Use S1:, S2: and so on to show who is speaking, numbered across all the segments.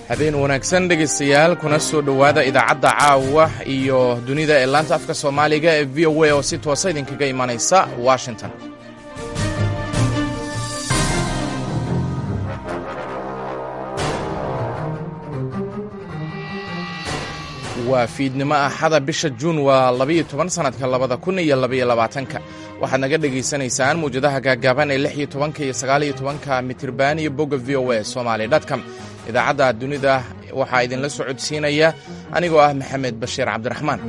S1: Habeen wanaagsan, dhegaystayaal, kuna soo dhowaada idaacadda caawa iyo dunida ee laanta afka Soomaaliga ee VOA oo si toosa idinkaga imanaysa Washington. Waa fiidnimo Axada, bisha Juun waa 12, sanadka 2022-ka. Waxaad naga dhegaysanaysaan muwjadaha gaagaaban ee 16-ka iyo 19-ka mitirban iyo bogga VOA Somali com. Idaacadda dunida waxaa idinla socodsiinaya anigoo ah Maxamed Bashiir Cabdiraxmaan.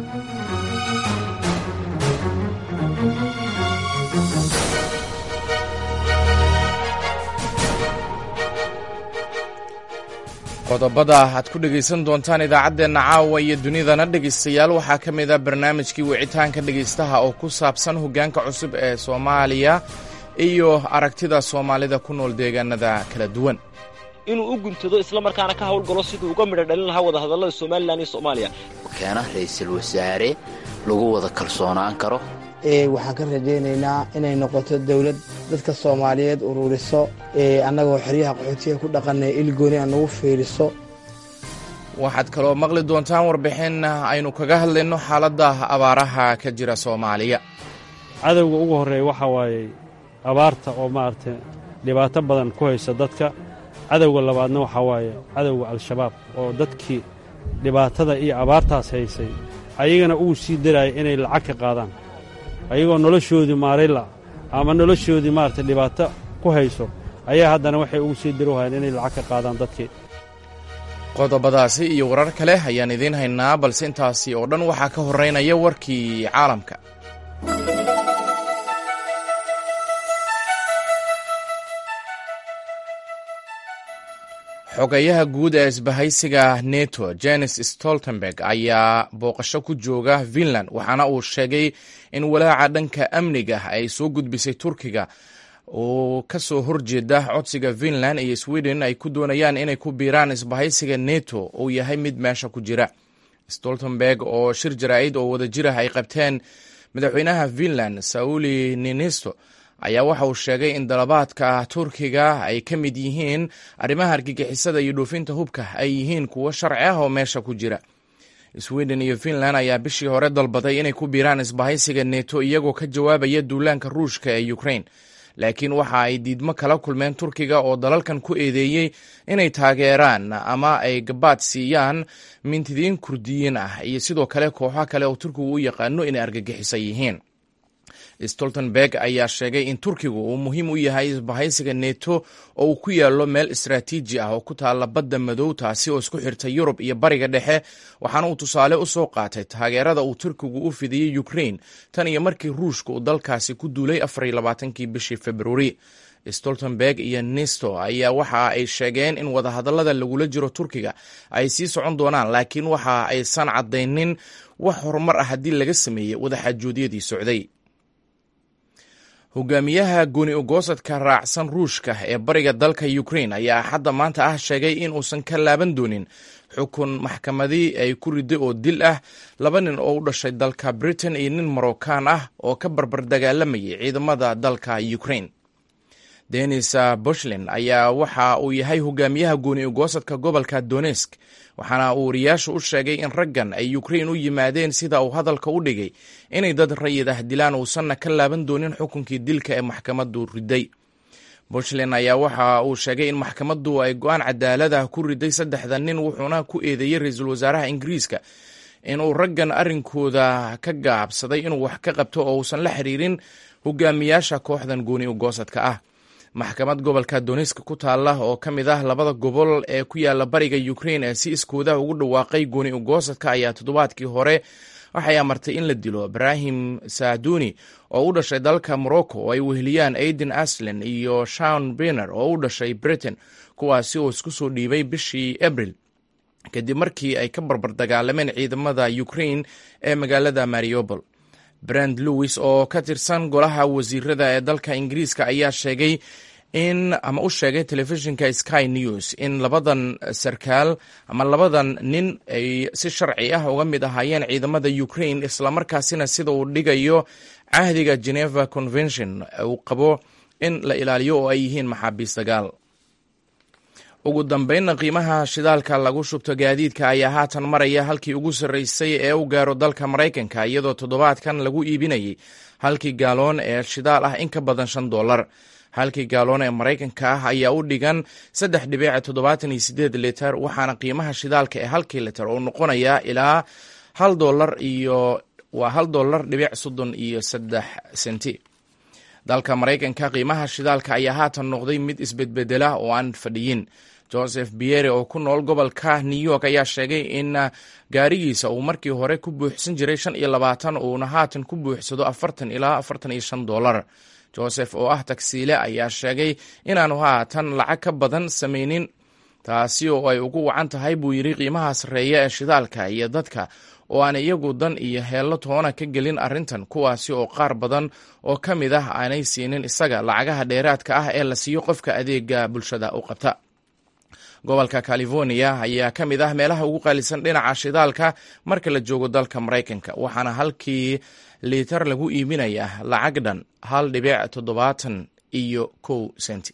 S1: Qodobada aad ku dhegaysan doontaan idaacaddeenna caawa iyo dunidana, dhegaystayaal, waxaa ka mid a barnaamijkii wicitaanka dhegaystaha oo ku saabsan hoggaanka cusub ee Soomaaliya iyo aragtida Soomaalida ku nool deegaanada kala duwan.
S2: Inuu u guntado isla markaana ka hawlgalo siduu uga midho dhalin lahaa wadahadallada Somalilan iyo Soomaaliya.
S3: Keena ra'iisul wasaare lagu wada kalsoonaan karo.
S4: Waxaan ka rajaynaynaa inay noqoto dowlad dadka Soomaaliyeed ururiso, annagoo xeryaha qaxootiga ku dhaqanay ilgooni aan nagu fiiriso.
S1: Waxaad kaloo maqli doontaan warbixin aynu kaga hadlayno xaaladda abaaraha ka jira Soomaaliya.
S5: Cadowga ugu horreeya waxaa waayey abaarta oo maaragtay dhibaato badan ku haysa dadka. Cadowga labaadna waxaa waaye cadowga Al-Shabaab oo dadkii dhibaatada iyo abaartaas haysay ayagana ugu sii daraaya inay lacag ka qaadaan, ayagoo noloshoodii maarayla ama noloshoodii maaragtay dhibaato ku hayso ayaa haddana waxay ugu sii darowhayaan inay lacag ka qaadaan dadkii.
S1: Qodobadaasi iyo warar kale ayaan idiin haynaa, balse intaasi oo dhan waxaa ka horreynaya warkii caalamka. Xogayaha guud ee isbahaysiga NETO, Jenes Stoltenberg, ayaa booqasho ku jooga Finland, waxaana uu sheegay in walaaca dhanka amniga ay soo gudbisay Turkiga oo ka soo horjeeda codsiga Finland iyo Sweden ay ku doonayaan inay ku biiraan isbahaysiga NETO uu yahay mid meesha ku jira. Stoltenberg oo shir jaraa'id oo wadajir ah ay qabteen madaxweynaha Finland Sauli Niinisto ayaa waxa uu sheegay in dalabaadka Turkiga ay ka mid yihiin arrimaha argagixisada iyo dhoofinta hubka ay yihiin kuwo sharci ah oo meesha ku jira. Sweden iyo Finland ayaa bishii hore dalbaday inay ku biiraan isbahaysiga NETO iyagoo ka jawaabaya duulaanka Ruushka ee Ukraine, laakiin waxa ay diidmo kala kulmeen Turkiga oo dalalkan ku eedeeyey inay taageeraan ama ay gabaad siiyaan mintidiin Kurdiyiin ah iyo sidoo kale kooxo kale oo Turkigu u yaqaano inay argagixisa yihiin. Stoltenberg ayaa sheegay in Turkigu uu muhiim u yahay isbahaysiga NETO oo uu ku yaallo meel istaraatiiji ah oo ku taalla Badda Madow, taasi oo isku xirta Yurub iyo Bariga Dhexe, waxaana uu tusaale u soo qaatay taageerada uu Turkigu u fidiyey Ukraine tan iyo markii Ruushka uu dalkaasi ku duulay 24-kii bishii Februari. Stoltenberg iyo Nisto ayaa waxa ay sheegeen in wadahadallada lagula jiro Turkiga ay sii socon doonaan, laakiin waxa aysan caddaynin wax horumar ah haddii laga sameeyey wadaxaajoodiyadii socday. Hogaamiyaha gooni ogoosadka raacsan Ruushka ee bariga dalka Ukraine ayaa Axadda maanta ah sheegay in uusan ka laaban doonin xukun maxkamadii ay ku riday oo dil ah laba nin oo u dhashay dalka Britain iyo nin Moroccan ah oo ka barbar dagaalamayay ciidamada dalka Ukraine. Denis Bushlin ayaa waxa uu yahay hogaamiyaha gooni ogoosadka gobolka Donesk, waxaana uu wariyaashu u sheegay in raggan ay Ukraine u yimaadeen, sida uu hadalka u dhigay, inay dad rayid ah dilaan, uusanna ka laaban doonin xukunkii dilka ee maxkamaddu riday. Bushlin ayaa waxa uu sheegay in maxkamaddu ay go-aan cadaalad ah ku riday saddexda nin, wuxuuna ku eedeeyey ra-iisul wasaaraha Ingiriiska inuu raggan arrinkooda ka gaabsaday inuu wax ka qabto oo uusan la xiriirin hogaamiyaasha kooxdan gooni ogoosadka ah. Maxkamad gobolka Donisk ku taalla oo ka mid ah labada gobol ee ku yaala bariga Ukraine ee si iskooda ugu dhawaaqay gooni ogoosadka ayaa toddobaadkii hore waxay amartay in la dilo Ibrahim Saaduni oo u dhashay dalka Morocco oo ay weheliyaan Aiden Aslen iyo Shawn Biner oo u dhashay Britain, kuwaasi oo isku soo dhiibay bishii Abril kadib markii ay ka barbar dagaalameen ciidamada Ukraine ee magaalada Mariupol. Brand Lewis oo ka tirsan golaha wasiirada ee dalka Ingiriiska ayaa sheegay in ama u sheegay telefishinka Sky News in labadan sarkaal ama labadan nin ay si sharci ah uga mid ahaayeen ciidamada Ukraine, islamarkaasina sida uu dhigayo cahdiga Geneva Convention uu qabo in la ilaaliyo oo ay yihiin maxaabiis dagaal. Ugu dambeynna, qiimaha shidaalka lagu shubto gaadiidka ayaa haatan maraya halkii ugu sarreysay ee u gaaro dalka Maraykanka, iyadoo toddobaadkan lagu iibinayay halkii gaaloon ee shidaal ah in ka badan $5. Halkii gaaloon ee Maraykanka ah ayaa u dhigan 3.78 liter, waxaana qiimaha shidaalka ee halkii liter uu noqonayaa ilaa hal dolar iyo waa $1.33. Dalka Maraykanka qiimaha shidaalka ayaa haatan noqday mid isbedbedela oo aan fadhiyin. Joseph Biere oo ku nool gobolka New York ayaa sheegay in gaarigiisa uu markii hore ku buuxsan jiray 25, uuna haatan ku buuxsado 40 ilaa $45. Joseph oo ah tagsiile ayaa sheegay inaanu haatan lacag ka badan samaynin, taasi oo ay ugu wacan tahay, buu yidhi, qiimaha sarreeya ee shidaalka iyo dadka oo aan iyagu dan iyo heello toona ka gelin arrintan, kuwaasi oo qaar badan oo ka mid ah aanay siinin isaga lacagaha dheeraadka ah ee la siiyo qofka adeega bulshada u qabta. Gobolka California ayaa ka mid ah meelaha ugu qaalisan dhinaca shidaalka marka la joogo dalka Maraykanka, waxaana halkii liitar lagu iibinayaa lacag dhan 1.71 senti.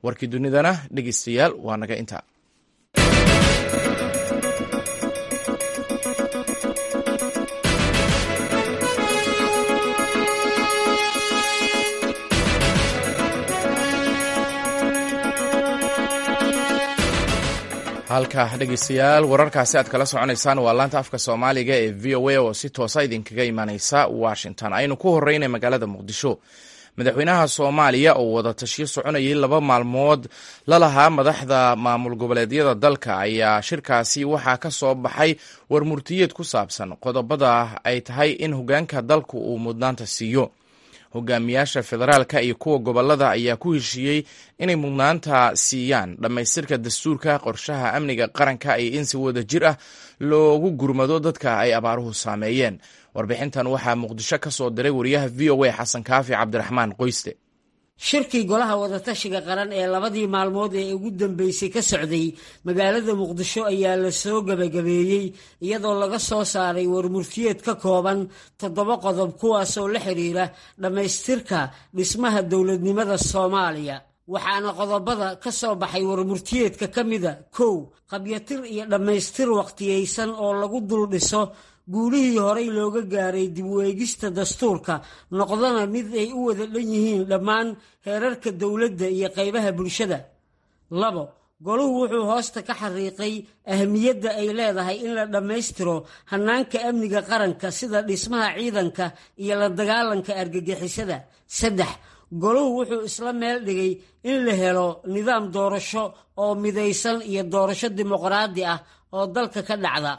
S1: Warkii dunidana, dhegeystayaal, waa naga intaa. Halka, dhegeystayaal, wararkaasi aad kala soconaysaan waa laanta afka Soomaaliga ee VOA oo si toosa idinkaga imaaneysa Washington. Aynu ku horeynay magaalada Muqdisho. Madaxweynaha Soomaaliya oo wada tashiyo soconayay 2 maalmood lalahaa madaxda maamul goboleedyada dalka ayaa shirkaasi waxaa ka soo baxay warmurtiyeed ku saabsan qodobada ay tahay in hogaanka dalku uu mudnaanta siiyo. Hogaamiyaasha federaalka iyo kuwa gobolada ayaa ku heshiiyey inay mudnaanta siiyaan dhammaystirka dastuurka, qorshaha amniga qaranka iyo in si wada jir ah loogu gurmado dadka ay abaaruhu saameeyeen. Warbixintan waxaa Muqdisho ka soo diray wariyaha VOA, Xasan Kaafi Cabdiraxmaan Qoyste.
S6: Shirkii golaha wadatashiga qaran ee labadii maalmood ee ugu dambeysay ka socday magaalada Muqdisho ayaa la soo gebagabeeyey, iyadoo laga soo saaray warmurtiyeed ka kooban toddoba qodob, kuwaasoo la xiriira dhammaystirka dhismaha dowladnimada Soomaaliya. Waxaana qodobada ka soo baxay warmurtiyeedka ka mida: kow, qabyatir iyo dhammaystir wakhtiyeysan oo lagu dul dhiso guulihii horay looga gaaray dib u eegista dastuurka, noqdana mid ay u wada dhan yihiin dhammaan heerarka dowladda iyo qaybaha bulshada. Labo, goluhu wuxuu hoosta ka xariiqay ahmiyadda ay leedahay in la dhammaystiro hannaanka amniga qaranka, sida dhismaha ciidanka iyo la dagaalanka argagixisada. Saddex, goluhu wuxuu isla meel dhigay in la helo nidaam doorasho oo midaysan iyo doorasho dimuqraadi ah oo dalka ka dhacda.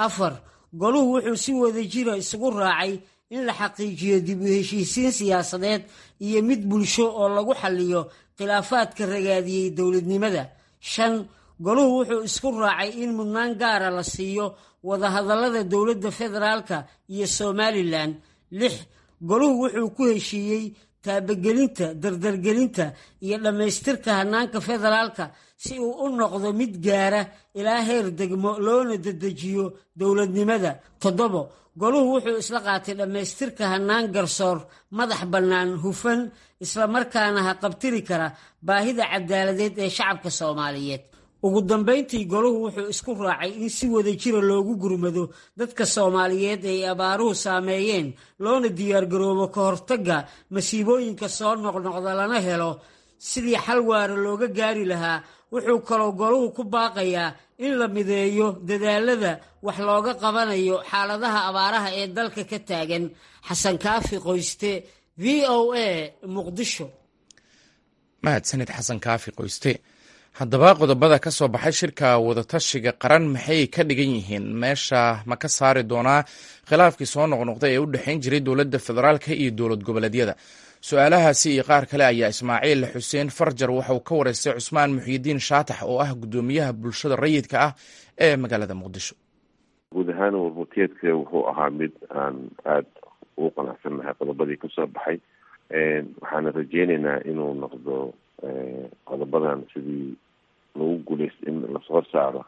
S6: Afar, goluhu wuxuu si wadajira isugu raacay in la xaqiijiyo dib u heshiisiin siyaasadeed iyo mid bulsho oo lagu xalliyo khilaafaadka ragaadiyey dowladnimada. Shan, goluhu wuxuu isku raacay in mudnaan gaara la siiyo wadahadallada dowladda federaalka iyo Somaliland. Lix, goluhu wuxuu ku heshiiyey taabagelinta, dardargelinta iyo dhammaystirka hannaanka federaalka si uu u noqdo mid gaara ilaa heer degmo, loona dedejiyo dowladnimada. Toddobo, goluhu wuxuu isla qaatay dhammaystirka hannaan garsoor madax bannaan, hufan, islamarkaana haqabtiri kara baahida cadaaladeed ee shacabka Soomaaliyeed. Ugu dambayntii, goluhu wuxuu isku raacay in si wadajira loogu gurmado dadka Soomaaliyeed ay abaaruhu saameeyeen, loona diyaargaroobo ka hortagga masiibooyinka soo noqnoqda, lana helo sidii xal waara looga gaari lahaa. Wuxuu kaloo goluhu ku baaqayaa in la mideeyo dadaalada wax looga qabanayo xaaladaha abaaraha ee dalka ka taagan. Xasan Kaafi Qoyste, VOA, Muqdisho.
S1: Mahadsanid, Xasan Kaafi Qoyste. Haddaba, qodobada ka soo baxay shirka wadatashiga qaran maxay ka dhigan yihiin? Meesha ma ka saari doonaa khilaafkii soo noqnoqday ee u dhexayn jiray dowladda federaalka iyo dowlad goboleedyada? Su-aalahaasi iyo qaar kale ayaa Ismaaciil Xuseen Farjar waxauu ka wareystay Cusmaan Muxyidiin Shaatax oo ah guddoomiyaha bulshada rayidka ah ee magaalada Muqdisho.
S7: Guud ahaan warmurtiyeedka wuxuu ahaa mid aan aada ugu qanacsannahay qodobadii kasoo baxay, waxaana rajeyneynaa inuu noqdo qodobadan sidii lagu guuleysto in lasoo saaro,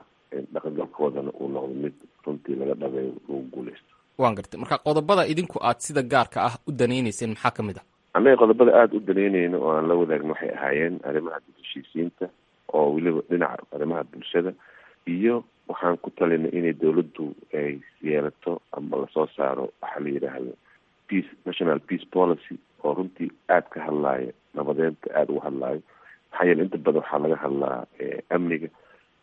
S7: dhaqangalkoodana uu noqdo mid runtii laga dhabeeyo, lagu guuleysto.
S8: Waan gartay. Marka qodobada idinku aad sida gaarka ah u danayneyseen maxaa ka mid ah?
S7: Annaga qodobada aada u danaynayno oo aan la wadaagno waxay ahaayeen arrimaha dib heshiisiinta oo weliba dhinaca arrimaha bulshada. Iyo waxaan ku talinay inay dowladdu ay yeelato ama lasoo saaro waxaa la yidhaahdo peace, national peace policy, oo runtii aada ka hadlaayo nabadeynta, aada uga hadlaayo. Maxaa yeele inta badan waxaa laga hadlaa amniga,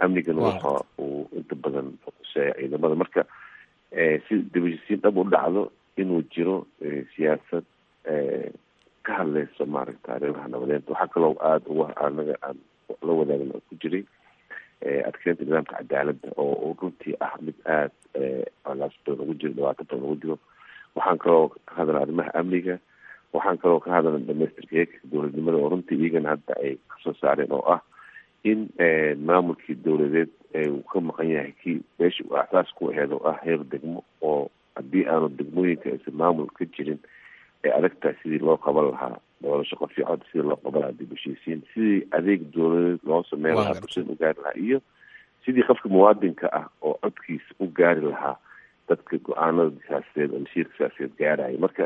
S7: amnigana waxa uu inta badan quseeya ciidamada. Marka si dibheshiisiin dhab u dhacdo, inuu jiro siyaasad ka hadleyso maaragta arrimaha nabadeynta. Waxaa kaloo aada uga anaga aan la wadaagna ku jiray adkeynta nidaamka cadaaladda, oo runtii ah mid aada colaas badan ugu jiro, dhibaato badan ugu jiro. Waxaan kaloo ka hadalna arrimaha amniga. Waxaan kaloo ka hadalna dhamaystirka heerka dowladnimada, oo runtii iyagana hadda ay kasoo saareen, oo ah in maamulkii dowladeed uu ka maqan yahay kii meesha uu aasaas ku aheed, oo ah heer degmo, oo haddii aanu degmooyinka aysan maamul ka jirin ay adag tahay sidii loo qaban lahaa doorasho qof iyo cod, sidii loo qaban lahaa dib heshiisiin, sidii adeeg dowladeed loo sameyn lahaa, bulshada u gaari lahaa, iyo sidii qofka muwaadinka ah oo codkiisa u gaari lahaa dadka go-aanada siyaasadeed oo masiirka siyaasadeed gaaraya. Marka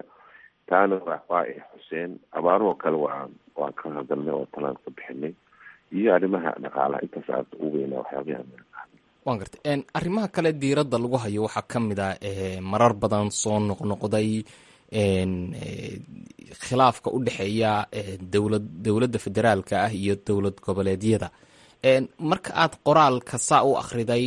S7: taana waa ay xuseen. Abaarahoo kale waan ka hadalnay oo talaan ka bixinay, iyo arrimaha dhaqaalaha. Intaas aada ugu weynaa waxyaabaha.
S8: Waan gartay. Arrimaha kale diiradda lagu hayo waxaa ka mid ah marar badan soo noqnoqday khilaafka u dhexeeya dowladda federaalka ah iyo dowlad goboleedyada. Marka aad qoraalka saa u akhriday,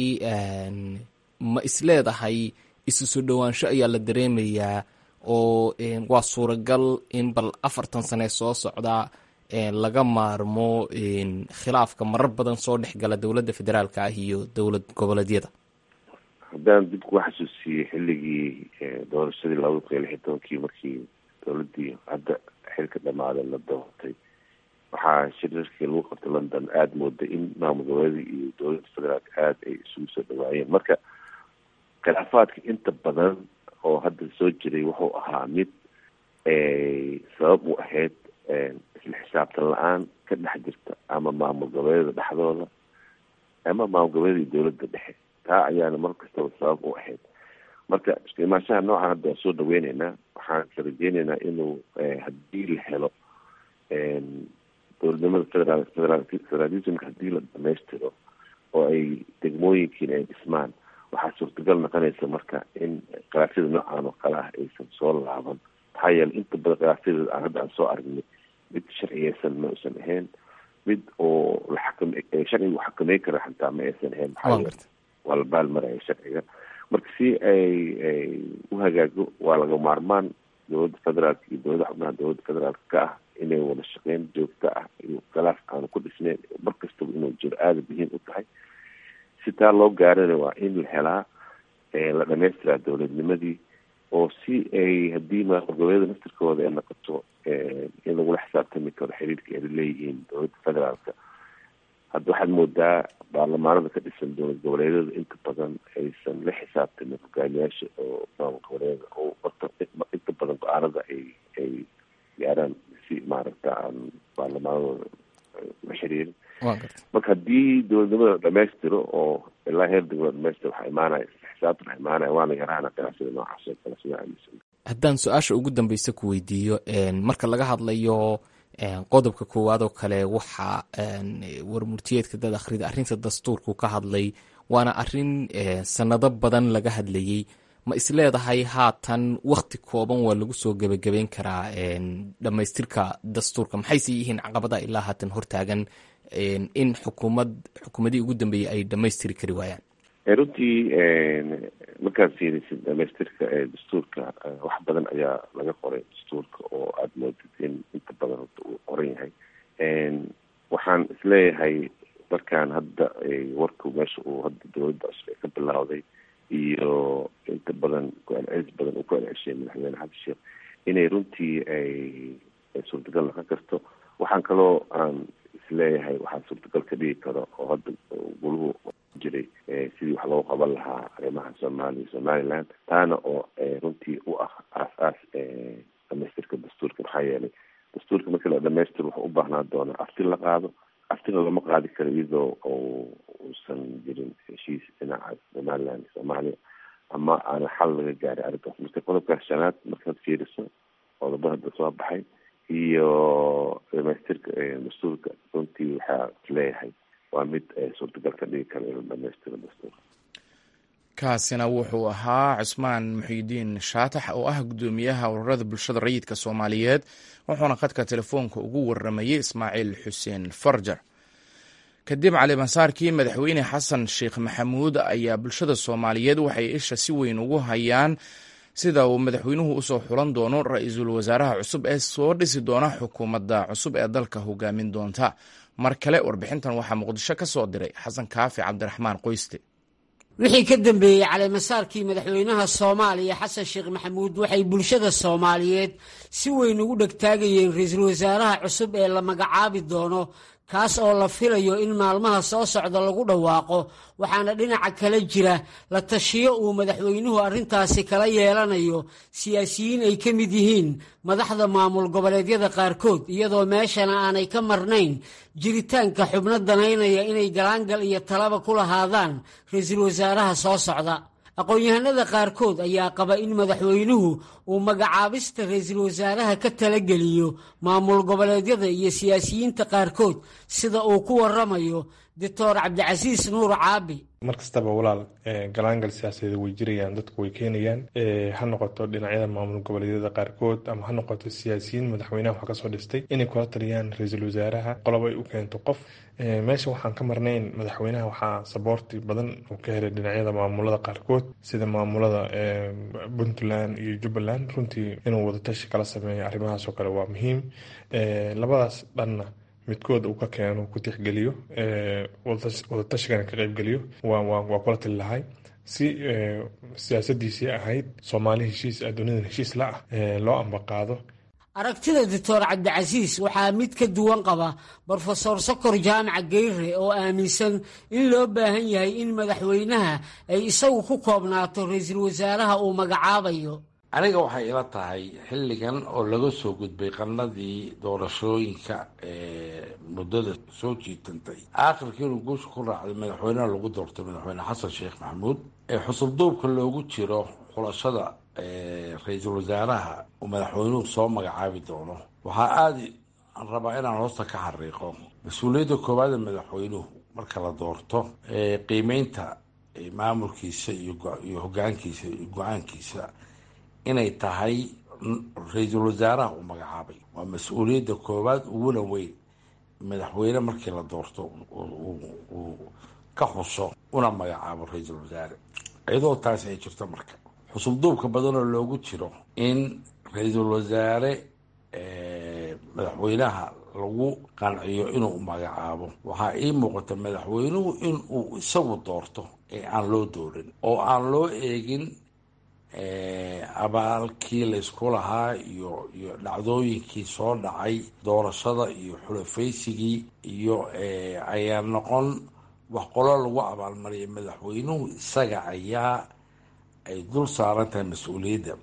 S8: ma isleedahay isu soo dhowaansho ayaa la dareemayaa, oo waa suuragal in bal 40 sane soo socda laga maarmo khilaafka marar badan soo dhexgala dowladda federaalka ah iyo dowlad goboleedyada?
S7: Haddaan dib kuga xasuusiyey xilligii doorashadii 2016-kii, markii dowladdii hadda xilka dhamaaday la doortay, waxaa shirarkii lagu qabtay London aada mooday in maamul goboleedii iyo dowladda federaalka aada ay isugu soo dhawaayeen. Marka khilaafaadka inta badan oo hadda soo jiray wuxuu ahaa mid sabab u ahayd isla xisaabtan la-aan ka dhex jirta ama maamul goboleeda dhexdooda ama maamul goboleeda iyo dowladda dhexe. Taa ayaana mar kastaba sabab u ahayd. Marka isku imaanshaha noocan hadda waan soo dhaweyneynaa. Waxaan ka rajeyneynaa inuu haddii la helo dowladnimada federaal, federalismka haddii la dhamaystiro oo ay degmooyinkiina ay dhismaan, waxaa suurtagal noqonaysa marka in khilaafyada noocan oo kale ah aysan soo laaban. Maxaa yeeley inta badan khilaafyada aan hadda aan soo aragnay mid sharciyeysan ma uusan ahayn, mid oo la xakam sharciga uu xakameyn kara xataa ma aysan ahayn. Maxaa yeele waa la baalmaraya sharciga. Marka si ay u hagaago, waa laga maarmaan dowladda federaalka iyo dowladda xubnaha dowladda federaalka ka ah inay wada shaqeyn joogto ah iyo khilaaf aanu ku dhisnayn mar kastaba inuu jiro aada muhiim u tahay. Si taa loo gaarana, waa in la helaa, la dhamaystiraa dowladnimadii, oo si ay haddii maamul goboleeda naftirkooda ay noqoto in lagula xisaabtami karo xiriirka ay leeyihiin dowladda federaalka. Hadda waxaad moodaa baarlamaanada ka dhisan dowlad goboleedyada inta badan aysan la xisaabtamin hogaamiyaasha oo maamul goboleeda, oo horta inta badan go-aanada ay gaaraan si maaragta aan baarlamaanadooda la xiriirin. Marka haddii dowladnimada la dhamaystiro oo ilaa heer degmo dhamaystiro, waxaa imaanaya xisaabtan, waxaa imaanaya waana yaraana khilaafyada noocaas oo kale, sidaa aaminsan.
S8: Haddaan su-aasha ugu dambeysa ku weydiiyo, marka laga hadlayo qodobka koowaad oo kale, waxaa warmurtiyeedka dad akhrida arrinta dastuurku ka hadlay, waana arrin sanado badan laga hadlayey. Ma isleedahay haatan wakti kooban waa lagu soo gebagabeyn karaa dhammaystirka dastuurka? Maxayse yihiin caqabadaha ilaa haatan hortaagan in xukuumadihii ugu dambeeyey ay dhammaystiri kari waayaan?
S7: Runtii markaad fiirisid dhamaystirka dastuurka, wax badan ayaa laga qoray dastuurka oo aada moodid in inta badan horta uu qoran yahay. Waxaan isleeyahay markaan hadda warku meesha uu hadda dowladda cusub ay ka bilowday iyo inta badan ku-celcelis badan uu ku celceshay madaxweyne Xasan Sheekh, inay runtii ay suurtagal noqon karto. Waxaan kaloo aan isleeyahay waxaa suurtagal ka dhigi karo oo hadda guluhu jiray sidii wax loogu qaban lahaa arrimaha Soomaaliya, Somaliland, taana oo runtii u ah aas-aas dhamaystirka dastuurka. Maxaa yeelay dastuurka markii la dhamaystiro wuxuu u baahnaa doonaa afti la qaado. Aftina lama qaadi karo iyadoo uusan jirin heshiis dhinaca Somaliland iyo Soomaaliya ama aana xal laga gaaray arrintaas. Marka qodobkaas shanaad markaad fiiriso, qodobada hadda soo baxay iyo dhamaystirka dastuurka, runtii waxaa isleeyahay Waa mid suurtagal ka dhigi kara inuu dhamaystiro dastuurka.
S1: Kaasina wuxuu ahaa Cusmaan Muxiidiin Shaatax oo ah guddoomiyaha ururada bulshada rayidka Soomaaliyeed, wuxuuna khadka telefoonka ugu waramayey Ismaaciil Xuseen Farjar. Kadib calimasaarkii Madaxweyne Xasan Sheekh Maxamuud ayaa bulshada Soomaaliyeed waxay isha si weyn ugu hayaan sida uu madaxweynuhu usoo xulan doono ra-iisul wasaaraha cusub ee soo dhisi doona xukuumadda cusub ee dalka hogaamin doonta. Mar kale warbixintan waxaa Muqdisho ka soo diray Xasan Kaafi Cabdiraxmaan Qoyste.
S6: Wixii ka dambeeyey caleemasaarkii madaxweynaha Soomaaliya Xasan Sheekh Maxamuud, waxay bulshada Soomaaliyeed si weyn ugu dhegtaagayeen ra-iisul wasaaraha cusub ee la magacaabi doono, kaas oo la filayo in maalmaha soo socda lagu dhawaaqo. Waxaana dhinaca kale jira la tashiyo uu madaxweynuhu arrintaasi kala yeelanayo siyaasiyiin ay ka mid yihiin madaxda maamul goboleedyada qaarkood, iyadoo meeshana aanay ka marnayn jiritaanka xubno danaynaya inay galaangal iyo talaba ku lahaadaan ra-iisul wasaaraha soo socda. Aqoon-yahanada qaarkood ayaa qaba in madaxweynuhu uu magacaabista ra-iisul wasaaraha ka talageliyo maamul goboleedyada iyo siyaasiyiinta qaarkood, sida uu ku waramayo Doctor Cabdicasiis Nuur Caabi.
S9: Mar kastaba, walaal, galaangal siyaasadeed way jirayaan, dadku way keenayaan, ha noqoto dhinacyada maamul goboleedyada qaarkood ama ha noqoto siyaasiyiin madaxweynaha wax kasoo dhistay inay kula taliyaan ra-iisul wasaaraha qolob ay u keento qof. Meesha waxaan ka marnayn, madaxweynaha waxaa saboorti badan uu ka helay dhinacyada maamulada qaarkood, sida maamulada Puntland iyo Jubbaland. Runtii inuu wadatashi kala sameeyo arrimahaas oo kale waa muhiim. Labadaas dhanna midkood uu ka keeno, ku tixgeliyo, wadatashigan ka qaybgeliyo, waa kula tali lahay, si siyaasadiisii ahayd Soomaali heshiis, adduunyadan heshiis la ah, loo ambaqaado.
S6: Aragtida Doctor Cabdicasiis waxaa mid ka duwan qaba Brofesor Sokor Jaamaca Geyre oo aaminsan in loo baahan yahay in madaxweynaha ay isagu ku koobnaato ra-iisul wasaaraha uu magacaabayo.
S10: Aniga waxay ila tahay, xilligan oo laga soo gudbay qarnadii doorashooyinka muddada soo jiitantay, aakhirkii inuu guusha ku raacday madaxweynaha lagu doortay, Madaxweyne Xasan Sheekh Maxamuud, ee xusubduubka loogu jiro xulashada ra-iisul wasaaraha uu madaxweynuhu soo magacaabi doono, waxaa aada aan rabaa inaan hoosta ka xariiqo mas-uuliyadda koowaad ee madaxweynuhu marka la doorto, qiimeynta maamulkiisa iyo hogaankiisa iyo go-aankiisa, inay tahay ra-iisul wasaaraha uu magacaabay. Waa mas-uuliyadda koowaad uguna weyn madaxweyne markii la doorto uu ka xuso una magacaabo ra-iisul wasaare. Iyadoo taasi ay jirto, marka xusubduubka badanoo loogu jiro in ra-iisul wasaare madaxweynaha lagu qanciyo inuu magacaabo, waxaa ii muuqata madaxweynuhu inuu isagu doorto ee aan loo doorin oo aan loo eegin abaalkii laysku lahaa iyo dhacdooyinkii soo dhacay, doorashada iyo xulafaysigii iyo ayaa noqon wax qolo lagu abaalmariyay. Madaxweynuhu isaga ayaa ay dul saaran tahay mas-uuliyadda.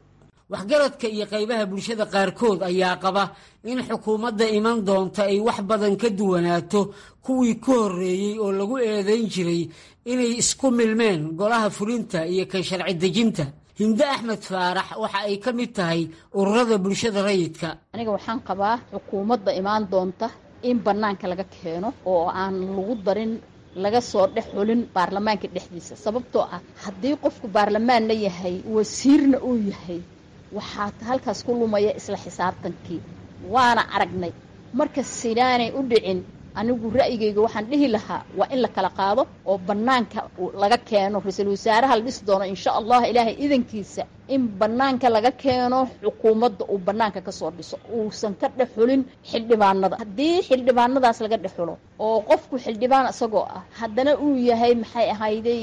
S6: Waxgaradka iyo qaybaha bulshada qaarkood ayaa qaba in xukuumadda iman doonta ay wax badan ka duwanaato kuwii ku horreeyey oo lagu eedayn jiray inay isku milmeen golaha fulinta iyo kan sharci dejinta. Hinde Axmed Faarax waxa ay ka mid tahay ururada bulshada rayidka.
S11: Aniga waxaan qabaa xukuumadda imaan doonta in bannaanka laga keeno oo aan lagu darin, laga soo dhex xulin baarlamaanka dhexdiisa, sababtoo ah haddii qofku baarlamaanna yahay, wasiirna uu yahay, waxaa halkaas ku lumaya isla xisaabtankii, waana aragnay. Marka sidaanay u dhicin, anigu ra'yigayga waxaan dhihi lahaa waa in la kala qaado oo bannaanka laga keeno ra-iisul wasaaraha la dhisi doono, insha Allah, Ilaahay idankiisa, in bannaanka laga keeno xukuumadda, uu bannaanka ka soo dhiso, uusan ka dhex xulin xildhibaanada. Haddii xildhibaanadaas laga dhex xulo oo qofku xildhibaan isagoo ah haddana uu yahay, maxay ahayday,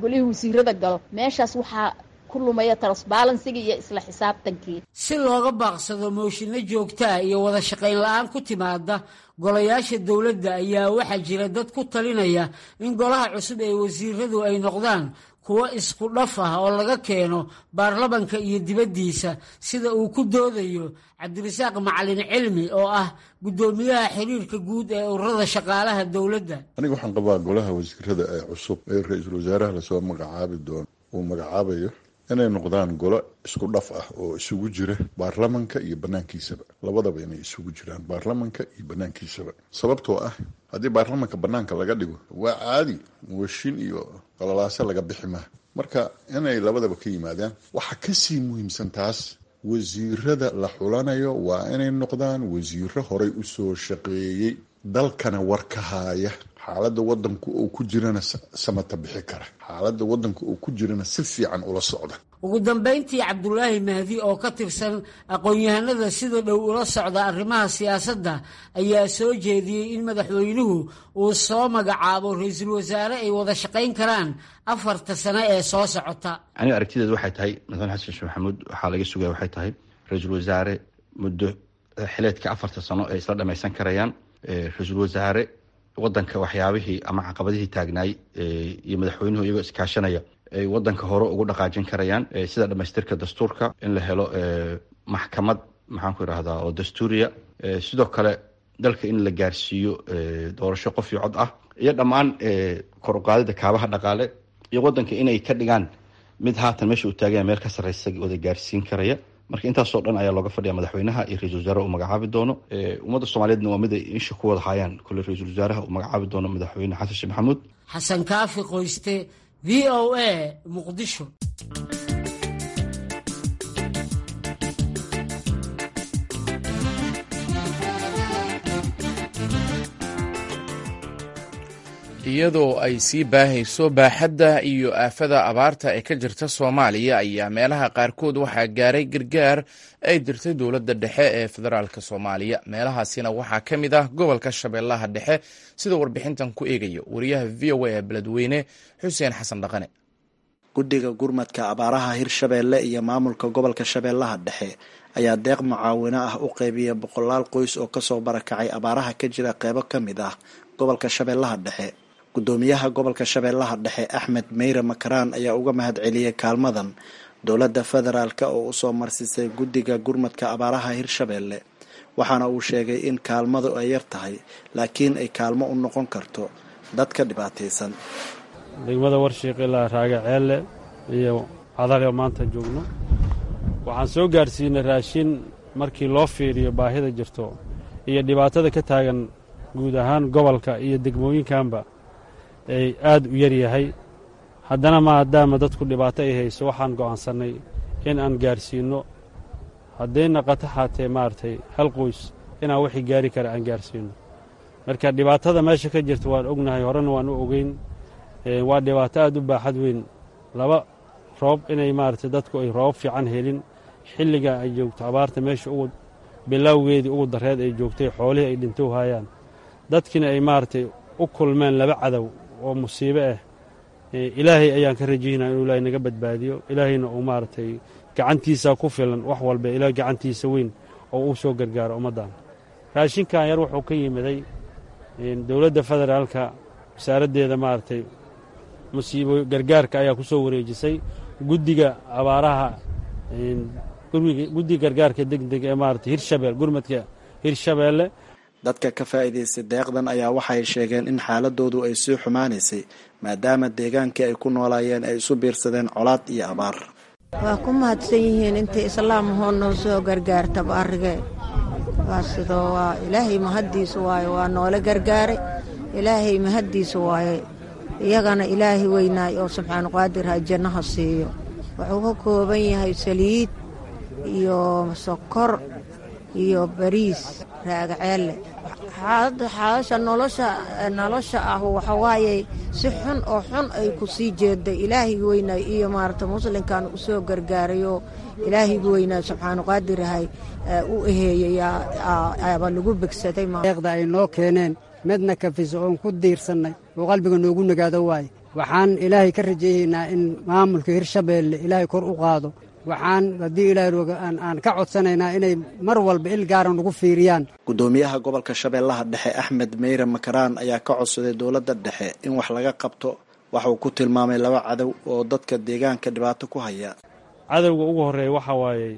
S11: golihii wasiirada galo, meeshaas waxaa ku lumaya transparency-ga iyo isla xisaabtankii.
S6: Si looga baaqsado mooshinno joogtaa iyo wada shaqayn la-aan ku timaada golayaasha dowladda, ayaa waxaa jira dad ku talinaya in golaha cusub ee wasiiradu ay noqdaan kuwo isku dhaf ah oo laga keeno baarlamanka iyo dibaddiisa, sida uu ku doodayo Cabdirasaaq Macalin Cilmi oo ah guddoomiyaha xiriirka guud ee ururada shaqaalaha dowladda.
S12: Aniga waxaan qabaa golaha wasiirada ee cusub ee ra-iisul wasaaraha lasoo magacaabi doono uu magacaabayo Inay noqdaan golo isku dhaf ah oo isugu jira baarlamanka iyo banaankiisaba, labadaba inay isugu jiraan baarlamanka iyo banaankiisaba. Sababtoo ah haddii baarlamanka banaanka laga dhigo waa caadi, muwashin iyo qalalaase laga bixi maha. Marka inay labadaba ka yimaadaan. Waxaa kasii muhiimsan taas, wasiirada la xulanayo waa inay noqdaan wasiiro horey usoo shaqeeyey, dalkana war ka haaya, xaaladda wadanku uu ku jirana samata bixi kara, xaaladda wadanka uu ku jirana si fiican ula socda.
S6: Ugu dambayntii, Cabdulaahi Mahdi oo ka tirsan aqoon-yahanada sida dhow ula socda arrimaha siyaasadda ayaa soo jeediyey in madaxweynuhu uu soo magacaabo ra-iisul wasaare ay wada shaqayn karaan 4ta sano ee soo socota.
S13: Aniga aragtideedu waxay tahay, madaxweyne Xasan Sheekh Maxamuud waxaa laga sugaya waxay tahay ra-iisul wasaare muddo xileedka 4ta sano ay isla dhamaysan karayaan, ra-iisul wasaare wadanka waxyaabihii ama caqabadihii taagnaay iyo madaxweynuhu iyagoo iskaashanaya ay wadanka hore ugu dhaqaajin karayaan, sida dhamaystirka dastuurka, in la helo maxkamad, maxaan ku idhahdaa, oo dastuuriya, sidoo kale dalka in la gaarsiiyo doorasho qof iyo cod ah, iyo dhammaan kor uqaadida kaabaha dhaqaale, iyo wadanka inay ka dhigaan mid haatan meesha uu taaganya meel ka sarreysa wada gaarsiin karaya. Marka intaasoo dhan ayaa looga fadhiya madaxweynaha iyo ra-isul wasaaraha uu magacaabi doono. Ummadda Soomaaliyeedna waa mid ay insha ku wada haayaan kule ra-iisul wasaaraha uu magacaabi doono madaxweyne Xasan Sheekh Maxamuud.
S6: Xasan Kaafi Qoyste, VOA, Muqdisho.
S1: Iyadoo ay sii baahayso baaxadda iyo aafada abaarta ee ka jirta Soomaaliya ayaa meelaha qaarkood waxaa gaaray gargaar ay dirtay dowladda dhexe ee federaalka Soomaaliya. Meelahaasina waxaa ka mid ah gobolka Shabeellaha Dhexe, sida warbixintan ku eegayo wariyaha VOA ee Beledweyne, Xuseen Xasan Dhaqane.
S14: Guddiga gurmadka abaaraha Hirshabeelle iyo maamulka gobolka Shabeellaha Dhexe ayaa deeq mucaawino ah u qeybiya boqolaal qoys oo kasoo barakacay abaaraha ka jira qeybo ka mid ah gobolka Shabeellaha Dhexe. Gudoomiyaha gobolka Shabeellaha Dhexe, Axmed Meyre Makaraan, ayaa uga mahad celiyey kaalmadan dowladda federaalk oo usoo marsiisay guddiga gurmadka abaaraha Hirshabeelle, waxaana uu sheegay in kaalmadu ay yar tahay laakiin ay kaalmo u noqon karto dadka dhibaataysan.
S5: Degmada Warshiiq ilaa Raaga Ceelle iyo Cadale oo maanta joogno, waxaan soo gaarsiinay raashin markii loo fiiriyo baahida jirto iyo dhibaatada ka taagan guud ahaan gobolka iyo degmooyinkanba ay aad u yar yahay. Haddana maadaama dadku dhibaato ay hayso, waxaan go'aansannay in aan gaarsiinno, hadday naqato xaatee maaragtay hal qoys inaan wixii gaari kara aan gaarsiinno. Marka dhibaatada meesha ka jirta waan ognahay, horena waan u ogeyn. Waa dhibaato aad u baaxad weyn. Laba roob inay maaragtay dadku ay roobab fiican helin, xilliga ay joogto abaarta meesha ugu bilowgeedii ugu darreed ay joogtay, xoolihii ay dhintow haayaan, dadkiina ay maaragtay u kulmeen laba cadow oo musiibo ah. Ilaahay ayaan ka rajaynaya inuu Ilaahay naga badbaadiyo, Ilaahayna uu maaragtay gacantiisa ku filan wax walba, Ilaah gacantiisa weyn oo uu soo gargaaro ummaddan. Raashinkan yar wuxuu ka yimiday dowladda federaalka, wasaaraddeeda maaragtay musiibo gargaarka ayaa ku soo wareejisay guddiga abaaraha, guddiga gargaarka degdeg ee maaragtay Hirshabeel, gurmadka Hirshabeelle.
S14: Dadka ka faa'iidaystay deeqdan ayaa waxay sheegeen in xaaladoodu ay sii xumaanaysay maadaama deegaankii ay ku noolaayeen ay isu biirsadeen colaad iyo abaar.
S15: Waa ku mahadsan yihiin intay islaam hoo noo soo gargaartaba arrigee. Waa sidoo, waa Ilaahay mahaddiisa waaye, waa noola gargaaray, Ilaahay mahaddiisa waaye. Iyagana Ilaahay weynaay oo subxaanu qaadir ha jannaha siiyo. Wuxuu ka kooban yahay saliid iyo sokor iyo bariis. Raagaceelle, xaasha nolosha ah waxawaaye si xun oo xun ay ku sii jeeday. Ilaahayga weynaay iyo maarata muslimkan u soo gargaarayoo Ilaahayga weynaay subxaanu qaadirahay u eheeyey aba lagu begsaday.
S16: Deeqda ay noo keeneen midna kafiso oon ku diirsannay oo qalbiga noogu nagaado waaye. Waxaan Ilaahay ka rajeeyeynaa in maamulka Hirshabeelle Ilaahay kor u qaado. Waxaan haddii Ilaahay roga aan ka codsanaynaa inay mar walba il gaara nagu fiiriyaan.
S14: Gudoomiyaha gobolka Shabeellaha Dhexe, Axmed Meyre Makaraan, ayaa ka codsaday dowladda dhexe in wax laga qabto waxa uu ku tilmaamay laba cadow oo dadka deegaanka dhibaato ku haya.
S5: Cadowga ugu horreeya waxaa waayey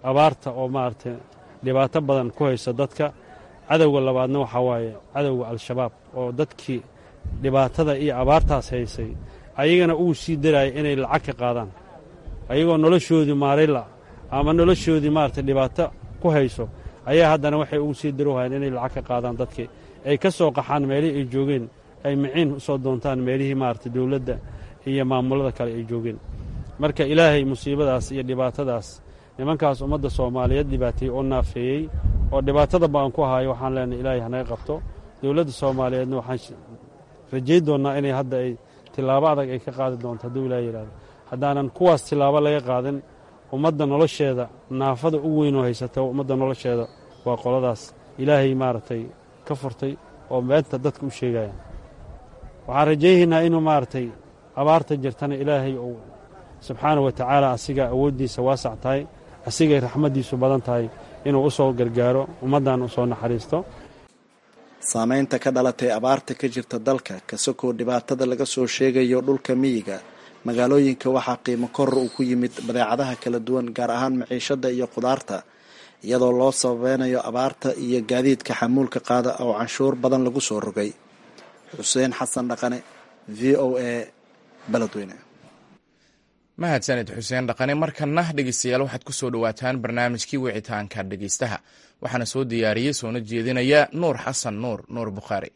S5: abaarta oo maaragtay dhibaato badan ku haysa dadka. Cadowga labaadna waxaa waaye cadowga Al-Shabaab oo dadkii dhibaatada iyo abaartaas haysay ayagana ugu sii daraaya inay lacag ka qaadaan. Ayagoo noloshoodii maarayla ama noloshoodii maaragtay dhibaato ku hayso ayaa haddana waxay ugu sii darowhayaan inay lacag ka qaadaan dadkii ay ka soo qaxaan meelihii ay joogeen, ay miciin u soo doontaan meelihii maaragtay dowladda iyo maamulada kale ay joogeen. Marka Ilaahay musiibadaas iyo dhibaatadaas nimankaas ummadda Soomaaliyeed dhibaateeyey oo naafeeyey oo dhibaatada baan ku hayo, waxaan leenahay Ilaahay hanaga qabto. Dowladda Soomaaliyeedna waxaan rajayn doonnaa inay hadda ay tilaabo adag ay ka qaadi doonto hadduu Ilahay yidhahdo. Haddaanan kuwaas tilaabo laga qaadin, ummadda nolosheeda naafada u weynoo haysata ummadda nolosheeda waa qoladaas Ilaahay maaragtay ka furtay oo beenta dadka u sheegaya. Waxaan rajaynaynaa inuu maaragtay abaarta jirtana Ilaahay uu subxaana wa tacaala asiga awooddiisa waasac tahay, asigay raxmaddiisu badan tahay, inuu u soo gargaaro ummaddan, u soo naxariisto.
S14: Saameynta ka dhalatay abaarta ka jirta dalka kasakoo dhibaatada laga soo sheegayo dhulka miyiga, magaalooyinka waxaa qiimo koror uu ku yimid badeecadaha kala duwan, gaar ahaan maciishada iyo khudaarta, iyadoo loo sababeynayo abaarta iyo gaadiidka xamuulka qaada oo canshuur badan lagu soo rogay. Xuseen Xasan Dhaqane, VOA, Beledweyne.
S1: Mahadsanid Xuseen Dhaqane. Markana dhegeystayaal, waxaad ku soo dhowaataan barnaamijkii wicitaanka dhegeystaha. Waxaana soo diyaariyey soona jeedinaya Nuur Xasan Nuur, Nuur Bukhaari.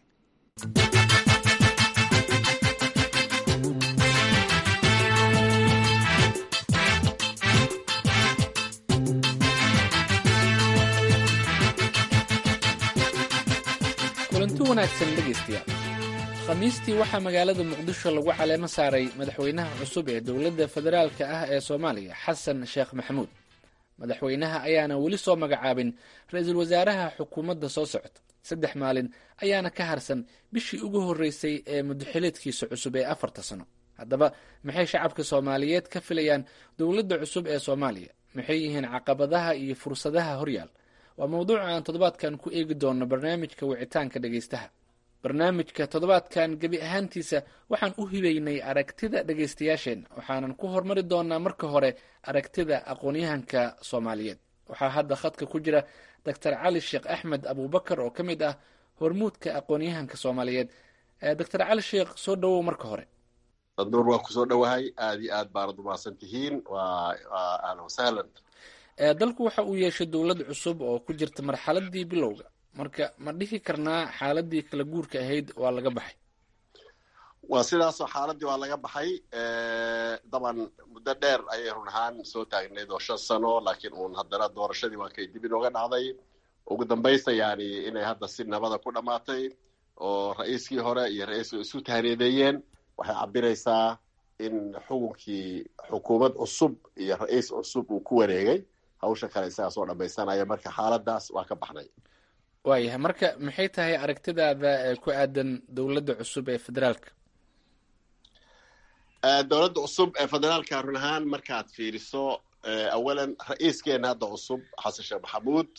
S17: Kulanti wanaagsan dhegaystayaal. Khamiistii waxaa magaalada Muqdisho lagu caleemo saaray madaxweynaha cusub ee dowladda federaalka ah ee Soomaaliya, Xasan Sheekh Maxamuud. Madaxweynaha ayaana weli soo magacaabin ra-iisul wasaaraha xukuumadda soo socota. 3 maalin ayaana ka harsan bishii ugu horreysay ee muddaxileedkiisa cusub ee 4ta sano. Haddaba, maxay shacabka Soomaaliyeed ka filayaan dowladda cusub ee Soomaaliya? Maxay yihiin caqabadaha iyo fursadaha horyaal? Waa mowduuca aan toddobaadkan ku eegi doono barnaamijka wicitaanka dhegaystaha. Barnaamijka toddobaadkan gebi ahaantiisa waxaan u hibaynay aragtida dhegaystayaasheenna, waxaanan ku hormari doonaa marka hore aragtida aqoon-yahanka Soomaaliyeed. Waxaa hadda khadka ku jira Doctor Cali Sheekh Axmed Abuubakar oo ka mid ah hormuudka aqoon-yahanka Soomaaliyeed. Doctor Cali Sheekh, soo dhowow marka hore.
S18: Nuur, waa kusoo dhowahay. Aad iyo aad baanad umahadsan tihiin. Waa ahlan wasahlan.
S17: Dalku waxa uu yeeshay dowlad cusub oo ku jirta marxaladii bilowga. Marka ma dhihi karnaa xaaladii kala guurka ahayd waa laga baxay?
S18: Waa sidaasoo, xaaladii waa laga baxay. Daban muddo dheer ayay run ahaan soo taagnayd oo 5 sano, laakiin uun haddana doorashadii waa kay dib inooga dhacday. Ugu dambaysta yani inay hadda si nabada ku dhammaatay oo ra-iiskii hore iyo ra-iisku isu tahniyadeeyeen waxay cabiraysaa in xukunkii xukuumad cusub iyo ra-iis cusub uu ku wareegay, hawsha kale isagaa soo dhamaysanaya. Marka xaaladaas waa ka baxnay.
S17: Waayahay, marka maxay tahay aragtidaada ee ku aadan dowladda cusub ee federaalka?
S18: Dowladda cusub ee federaalka, run ahaan markaad fiiriso, awalan ra-iiskeena hadda cusub Xasan Sheekh Maxamuud,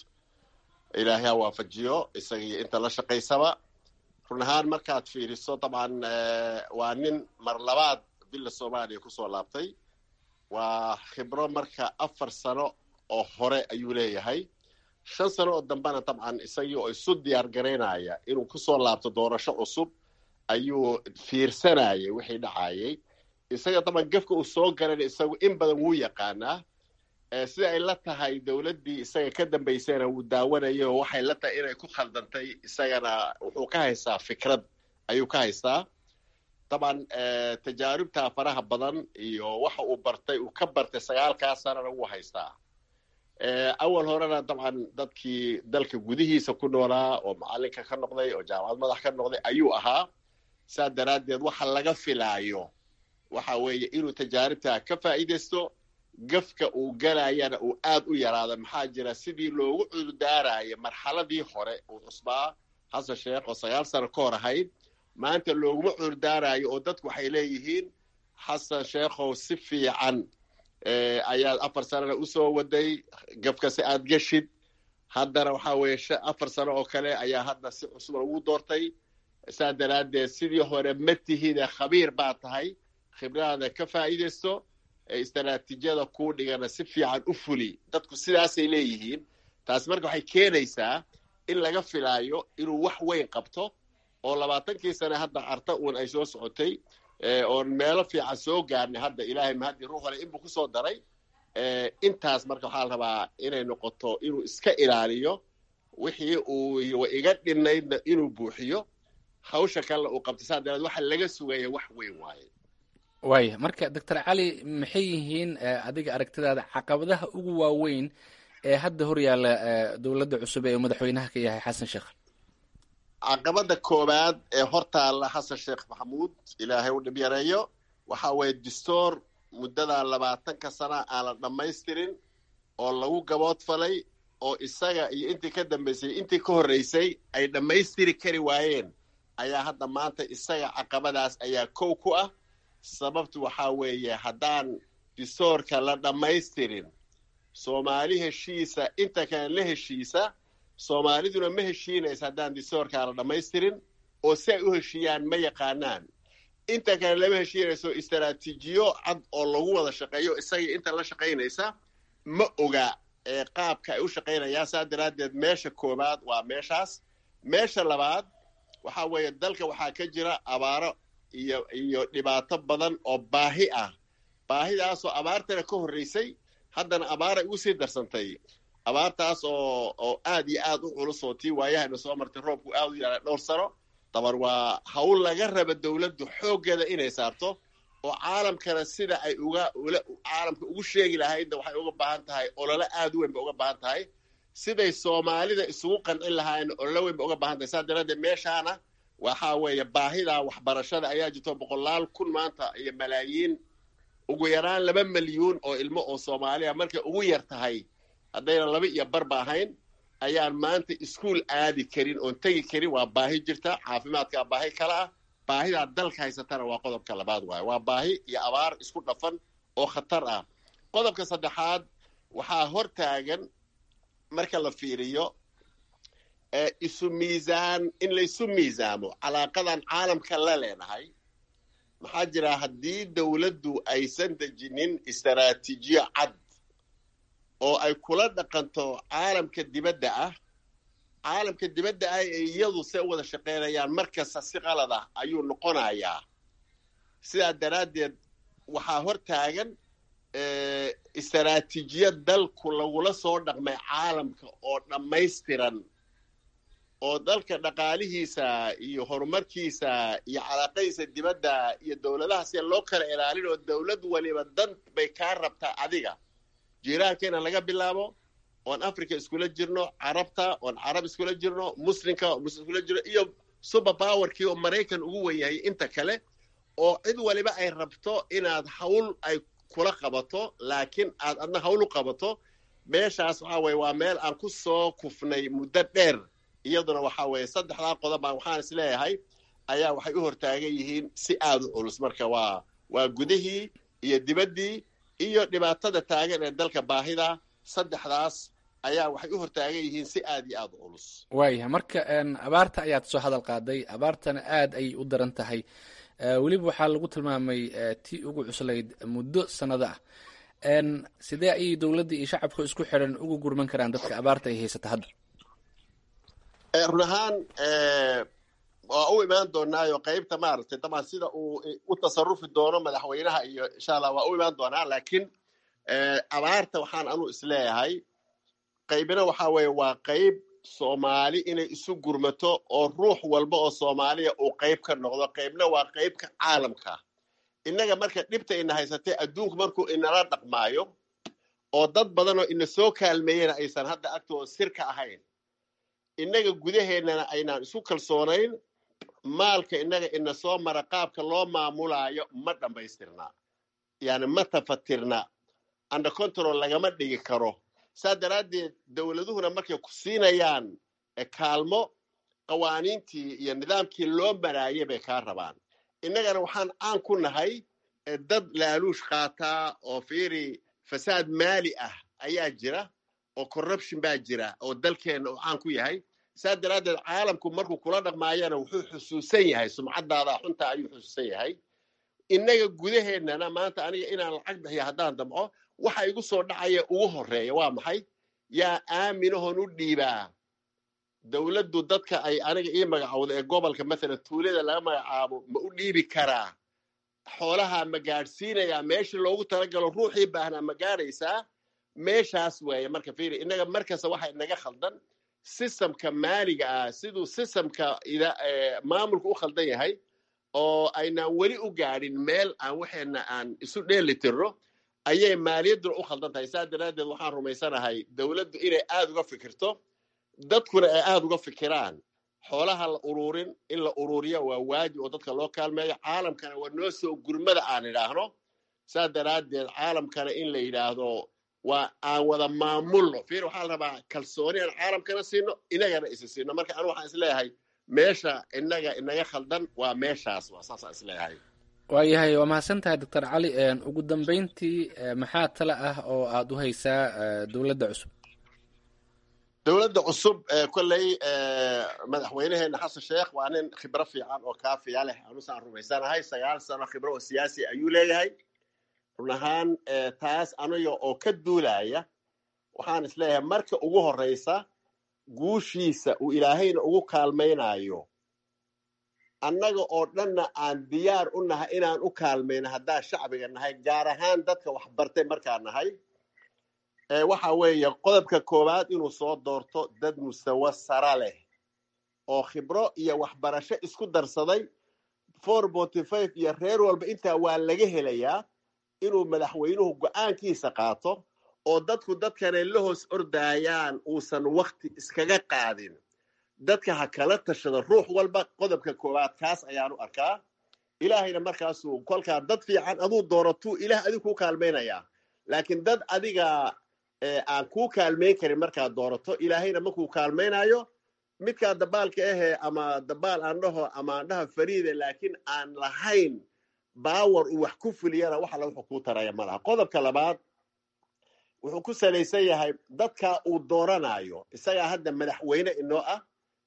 S18: Ilaahay ha waafajiyo isagii inta la shaqaysaba. Run ahaan markaad fiiriso, dabcan waa nin mar labaad Villa Soomaaliya kusoo laabtay. Waa khibro, marka 4 sano oo hore ayuu leeyahay, 5 sano oo dambena dabcan isagii oo isu diyaar garaynaya inuu kusoo laabto doorasho cusub ayuu fiirsanayay wixii dhacayay. Isaga dabcan gefka uu soo garan isagu in badan wuu yaqaanaa. Sida ay la tahay, dowladdii isaga ka dambaysayna wuu daawanayay oo waxay la tahay inay ku khaldantay. Isagana wuxuu ka haystaa fikrad ayuu ka haystaa. Dabcan tajaaribta faraha badan iyo waxa uu bartay, uu ka bartay 9kaa sanana wuu haystaa. Awal horena dabcan dadkii dalka gudihiisa ku noolaa oo macalinka ka noqday oo jaamacad madax ka noqday ayuu ahaa. Saa daraaddeed waxa laga filaayo waxa weeye inuu tajaaribta ka faa'iidaysto, gafka uu galayana uu aad u yaraado. Maxaa jira, sidii loogu cudurdaarayay marxaladii hore uu cusbaa Xasan Sheekh oo 9 sano ka hor ahayd, maanta looguma cudurdaarayo oo dadku waxay leeyihiin, "Xasan Sheekhow, si fiican ayaad 4 sanona usoo waday, gafka si aad geshid, haddana waxaa weeye 4 sano oo kale ayaa hadda si cusub lagu doortay. Saa daraaddeed sidii hore ma tihide, khabiir baa tahay, khibradaada ka faa'iidaysto, istaraatiijiyada kuu dhigana si fiican u fuli." Dadku sidaasay leeyihiin. Taasi marka waxay keenaysaa in laga filaayo inuu wax weyn qabto oo 20kii sane hadda Carta uun ay soo socotay. Oon meelo fiican soo gaarnay hadda, Ilaahay mahadii, ruux wale inbuu kusoo daray intaas. Marka waxaa la rabaa inay noqoto inuu iska ilaaliyo wixii uu iga dhinaydna inuu buuxiyo, hawsha kalena uu qabtay. Saa daraad waxa laga sugaya wax weyn waaye.
S17: Waaya, marka Doctor Cali, maxay yihiin adiga aragtidaada caqabadaha ugu waaweyn ee hadda hor yaalla dowladda cusub ee uu madaxweynaha ka yahay Xasan Sheekh?
S18: Caqabada koowaad ee hortaalla Xasan Sheekh Maxamuud, Ilaahay u dhib yareeyo, waxa weeye distoor muddada 20-ka sana aan la dhammaystirin oo lagu gaboodfalay, oo isaga iyo intii ka dambaysay, intii ka horreysay ay dhammaystiri kari waayeen, ayaa hadda maanta isaga caqabadaas ayaa kow ku ah. Sababtu waxaa weeye, haddaan distoorka la dhammaystirin, Soomaali heshiisa inta kale la heshiisa, Soomaaliduna ma heshiinaysa haddaan distoorkaa la dhammaystirin, oo si ay u heshiiyaan ma yaqaanaan. Inta kale lama heshiinayso, istaraatiijiyo cad oo lagu wada shaqeeyo isaga inta la shaqaynaysa ma oga ee qaabka ay u shaqaynayaan. Saa daraaddeed meesha koowaad waa meeshaas. Meesha labaad waxaa weeye, dalka waxaa ka jira abaaro iyo dhibaato badan oo baahi ah, baahidaasoo abaartana ka horreysay, haddana abaaray ugu sii darsantay. Abaartaas oo aad iyo aad u culus, oo tii waayahayna soo martay, roobku aad u yaray dhowr sano dabar. Waa hawl laga raba dowladdu xooggeeda inay saarto, oo caalamkana sida ay uga ula caalamka ugu sheegi lahaydna waxay uga baahan tahay olole aad u weyn bay uga baahan tahay. Siday Soomaalida isugu qancin lahaayna olole weyn bay uga baahan tahay. Saa daraaddeed meeshaana waxaa weeye baahida waxbarashada ayaa jirto. Boqolaal kun maanta iyo malaayiin, ugu yaraan 2 malyuun oo ilmo oo Soomaaliya markay ugu yar tahay, haddayna laba iyo barba ahayn, ayaan maanta iskuul aadi karin oon tegi karin. Waa baahi jirta. Caafimaadkaa baahi kale ah. Baahidaa dalka haysatana waa qodobka labaad waaye. Waa baahi iyo abaar isku dhafan oo khatar ah. Qodobka saddexaad waxaa hor taagan, marka la fiiriyo isu miisaan, in laysu miisaamo calaaqadan caalamka la leenahay. Maxaa jira, haddii dowladdu aysan dejinin istaraatiijiyo cad oo ay kula dhaqanto caalamka dibadda ah, caalamka dibadda ah ee iyadu se u wada shaqaynayaan mar kasta si qalad ah ayuu noqonayaa. Sidaa daraaddeed waxaa hor taagan istaraatiijiyad dalku lagula soo dhaqmay caalamka oo dhammaystiran, oo dalka dhaqaalihiisa iyo horumarkiisa iyo calaaqadiisa dibadda iyo dowladaha si loo kala ilaalin, oo dowlad waliba dan bay kaa rabtaa adiga. Jiiraankeena laga bilaabo, oon Africa iskula jirno, Carabta oon Carab iskula jirno, Muslimka oo Muslim iskula jirno, iyo super powerkii oo Maraykan ugu wen yahay, inta kale oo cid waliba ay rabto inaad hawl ay kula qabato, laakiin aad adna hawl u qabato. Meeshaas waxaa weye waa meel aan ku soo kufnay muddo dheer. Iyaduna waxaa weeye saddexdaa qodob baan waxaan is leeyahay ayaa waxay u hortaagan yihiin si aada u culus. Marka waa gudihii iyo dibaddii iyo dhibaatada taagan ee dalka, baahida, saddexdaas ayaa waxay u hortaagan yihiin si aad iyo aada u culus.
S17: Waayahay, marka abaarta ayaad soo hadal qaaday. Abaartana aad ayay u daran tahay, weliba waxaa lagu tilmaamay tii ugu cuslayd muddo sanado ah. Sidee ayay dowladda iyo shacabka isku xiran ugu gurman karaan dadka abaarta ay haysata hadda?
S18: Run ahaan waa u imaan doonaayo qeybta maaragtay, dabcan sida uu u tasarufi doono madaxweynaha iyo insha Allah waa u imaan doonaa. Laakiin abaarta waxaan anu isleeyahay qaybina waxaa weeye waa qayb Soomaali inay isu gurmato oo ruux walba oo Soomaaliya uu qayb ka noqdo, qaybna waa qaybka caalamka. Innaga marka dhibta ina haysatay, adduunku markuu inala dhaqmaayo oo dad badan oo ina soo kaalmeeyena aysan hadda agtooda sir ka ahayn, innaga gudaheennana aynaan isu kalsoonayn, maalka innaga ina soo mara qaabka loo maamulaayo ma dhammaystirna, yani ma tafatirna, under control lagama dhigi karo. Saa daraaddeed dowladuhuna markay ku siinayaan kaalmo, qawaaniintii iyo nidaamkii loo maraayay bay kaa rabaan. Innagana waxaan caan ku nahay dad laaluush qaataa oo fiiri, fasaad maali ah ayaa jira oo corruption baa jira oo dalkeenna uu caan ku yahay. Saa daraaddeed caalamku markuu kula dhaqmaayana wuxuu xusuusan yahay sumcaddaada xunta ayuu xusuusan yahay. Innaga gudaheennana maanta aniga inaan lacag bixiya haddaan damco, waxa igu soo dhacaya ugu horreeya waa maxay? Yaa aaminahoon u dhiibaa? Dowladdu dadka ay aniga ii magacowda ee gobolka, mathalan tuulada laga magacaabo, ma u dhiibi karaa? Xoolaha ma gaadhsiinayaa meeshii loogu talagalo? Ruuxii baahnaa ma gaadhaysaa meeshaas? Weeye. Marka fiiri, innaga markasta waxa inaga khaldan systemka maaliga ah, siduu systemka maamulka u khaldan yahay oo aynaan weli u gaadhin meel aan waxeena aan isu dheeli tirno, ayay maaliyadduna u khaldan tahay. Saa daraaddeed waxaan rumaysanahay dowladdu inay aada uga fikirto, dadkuna ay aada uga fikiraan xoolaha la ururin. In la ururiyo waa waajib oo dadka loo kaalmeeyo. Caalamkana waa noo soo gurmada aan idhaahno. Saa daraaddeed caalamkana in la yidhaahdo waa aan wada maamulno. Fiir, waxaa la rabaa kalsooni aan caalamkana siino, inagana isi siino. Marka anu waxaan isleeyahay meesha inaga inaga khaldan waa meeshaas, waa saasaan isleeyahay.
S17: Waayahay, waa mahadsan tahay, Doctor Cali. Ugu dambeyntii, maxaa tale ah oo aada u haysaa dowladda cusub?
S18: Dowladda cusub, kolley madaxweynaheena Xasan Sheekh waa nin khibro fiican oo kaafiya leh. Anusaan rumaysanahay 9 sano khibro oo siyaasi ayuu leeyahay. Run ahaan, taas aniga oo ka duulaya, waxaan isleeyahay marka ugu horeysa guushiisa uu Ilaahayna ugu kaalmaynayo, annaga oo dhanna aan diyaar u nahay inaan u kaalmayno haddaan shacbiga nahay, gaar ahaan dadka waxbartay markaan nahay, waxa weeye qodobka koowaad inuu soo doorto dad mustawo sara leh oo khibro iyo waxbarasho isku darsaday. 4.5 iyo reer walba intaa waa laga helayaa. Inuu madaxweynuhu go-aankiisa qaato oo dadku dadkanay la hoos ordaayaan uusan wakti iskaga qaadin, dadka ha kala tashado ruux walba. Qodobka koowaad kaas ayaanu arkaa. Ilaahayna markaasuu kolkaa dad fiican aduu dooratuu Ilaah adigu kuu kaalmaynayaa, laakiin dad adiga aan kuu kaalmayn karin markaad doorato, Ilaahayna makuu kaalmaynayo. Midkaa dabaalka ahee ama dabaal aan dhaho ama aan dhaha fariide, laakiin aan lahayn power uu wax ku fuliyana, wax alla wuxuu kuu taraya ma laha. Qodobka labaad wuxuu ku salaysan yahay dadka uu dooranayo. Isagaa hadda madaxweyne inoo ah,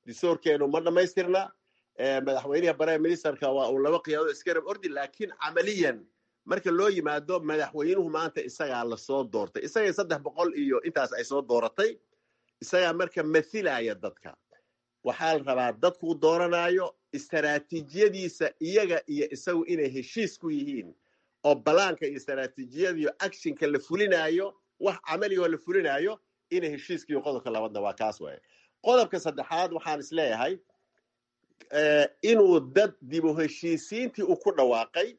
S18: distoorkeenu ma dhammaystirna. Madaxweynaha, prime ministerka waa uu laba qiyaado iska rab ordi, laakiin camaliyan marka loo yimaado madaxweynuhu maanta isagaa lasoo doortay, isaga 300 iyo intaas ay soo dooratay. Isagaa marka mathilaya dadka. Waxaa la rabaa dadkuu dooranayo istaraatiijiyadiisa iyaga iyo isagu inay heshiis ku yihiin, oo balaanka iyo istaraatiijiyada iyo actionka la fulinayo, wax camaligoo la fulinayo, inay heshiiskiiyo. Qodobka labaadna waa kaas waaye. Qodobka saddexaad waxaan isleeyahay inuu dad dibu heshiisiintii uu ku dhawaaqay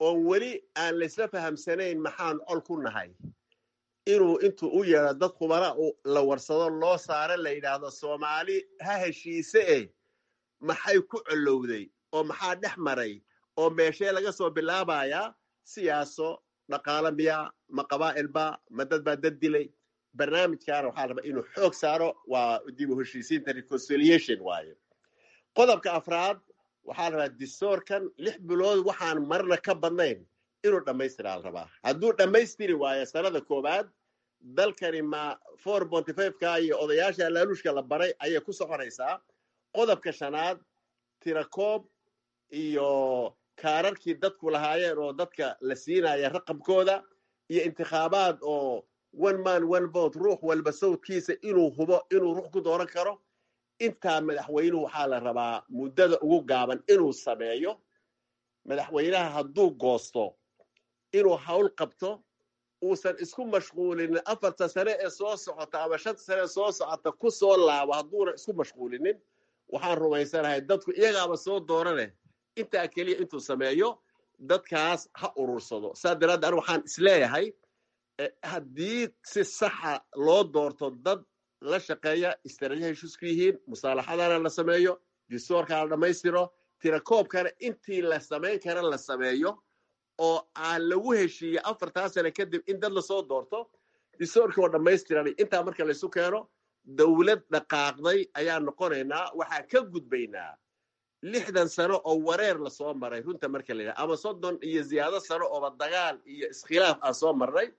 S18: oon weli aan laysla fahamsanayn maxaan col ku nahay, inuu intuu u yeedho dad khubara la warsado, loo saaro, la yidhaahdo Soomaali ha heshiise eh, maxay ku colowday oo maxaa dhex maray oo meeshee laga soo bilaabayaa? Siyaaso, dhaqaalo miya, ma qabaa'ilba, ma dad baa dad dilay? Barnaamijkaana waxaa rabaa inuu xoog saaro, waa dib u heshiisiinta, reconciliation waaye. Qodobka afraad waxaa rabaa distoorkan 6 bilood waxaan marna ka badnayn inuu dhammaystiraa la rabaa. Hadduu dhammaystiri waayo sanada koowaad, dalkani ma 4.5-ka iyo odayaasha laaluushka la baray ayay ku soconaysaa. Qodobka shanaad, tirakoob iyo kaararkii dadku lahaayeen oo dadka la siinaya raqamkooda, iyo intikhaabaad oo one man one vote, ruux walba sawdkiisa inuu hubo inuu ruux ku dooran karo. Intaa madaxweynuhu waxaa la rabaa muddada ugu gaaban inuu sameeyo. Madaxweynaha hadduu goosto inuu hawl qabto, uusan isku mashquulinin 4-ta sane ee soo socota ama 5-ta sane ee soo socota ku soo laabo, hadduuna isku mashquulinin, waxaan rumaysanahay dadku iyagaaba soo doorane. Intaa keliya intuu sameeyo dadkaas ha urursado. Saa daraaddeed anigu waxaan isleeyahay haddii si saxa loo doorto dad la shaqeeya, istaraatijiya heshiis ku yihiin, musaalaxadana la sameeyo, distoorkana la dhammaystiro, tirakoobkana intii la samayn kara la sameeyo, oo aan lagu heshiiye 4-taa sane kadib in dad lasoo doorto, distoorkii oo dhammaystiran, intaa marka laysu keeno, dowlad dhaqaaqday ayaan noqonaynaa. Waxaan ka gudbaynaa 60 sano oo wareer lasoo maray, runta marka la yidhaha, ama 30 iyo ziyaado sano ooba dagaal iyo iskhilaaf aan soo marnay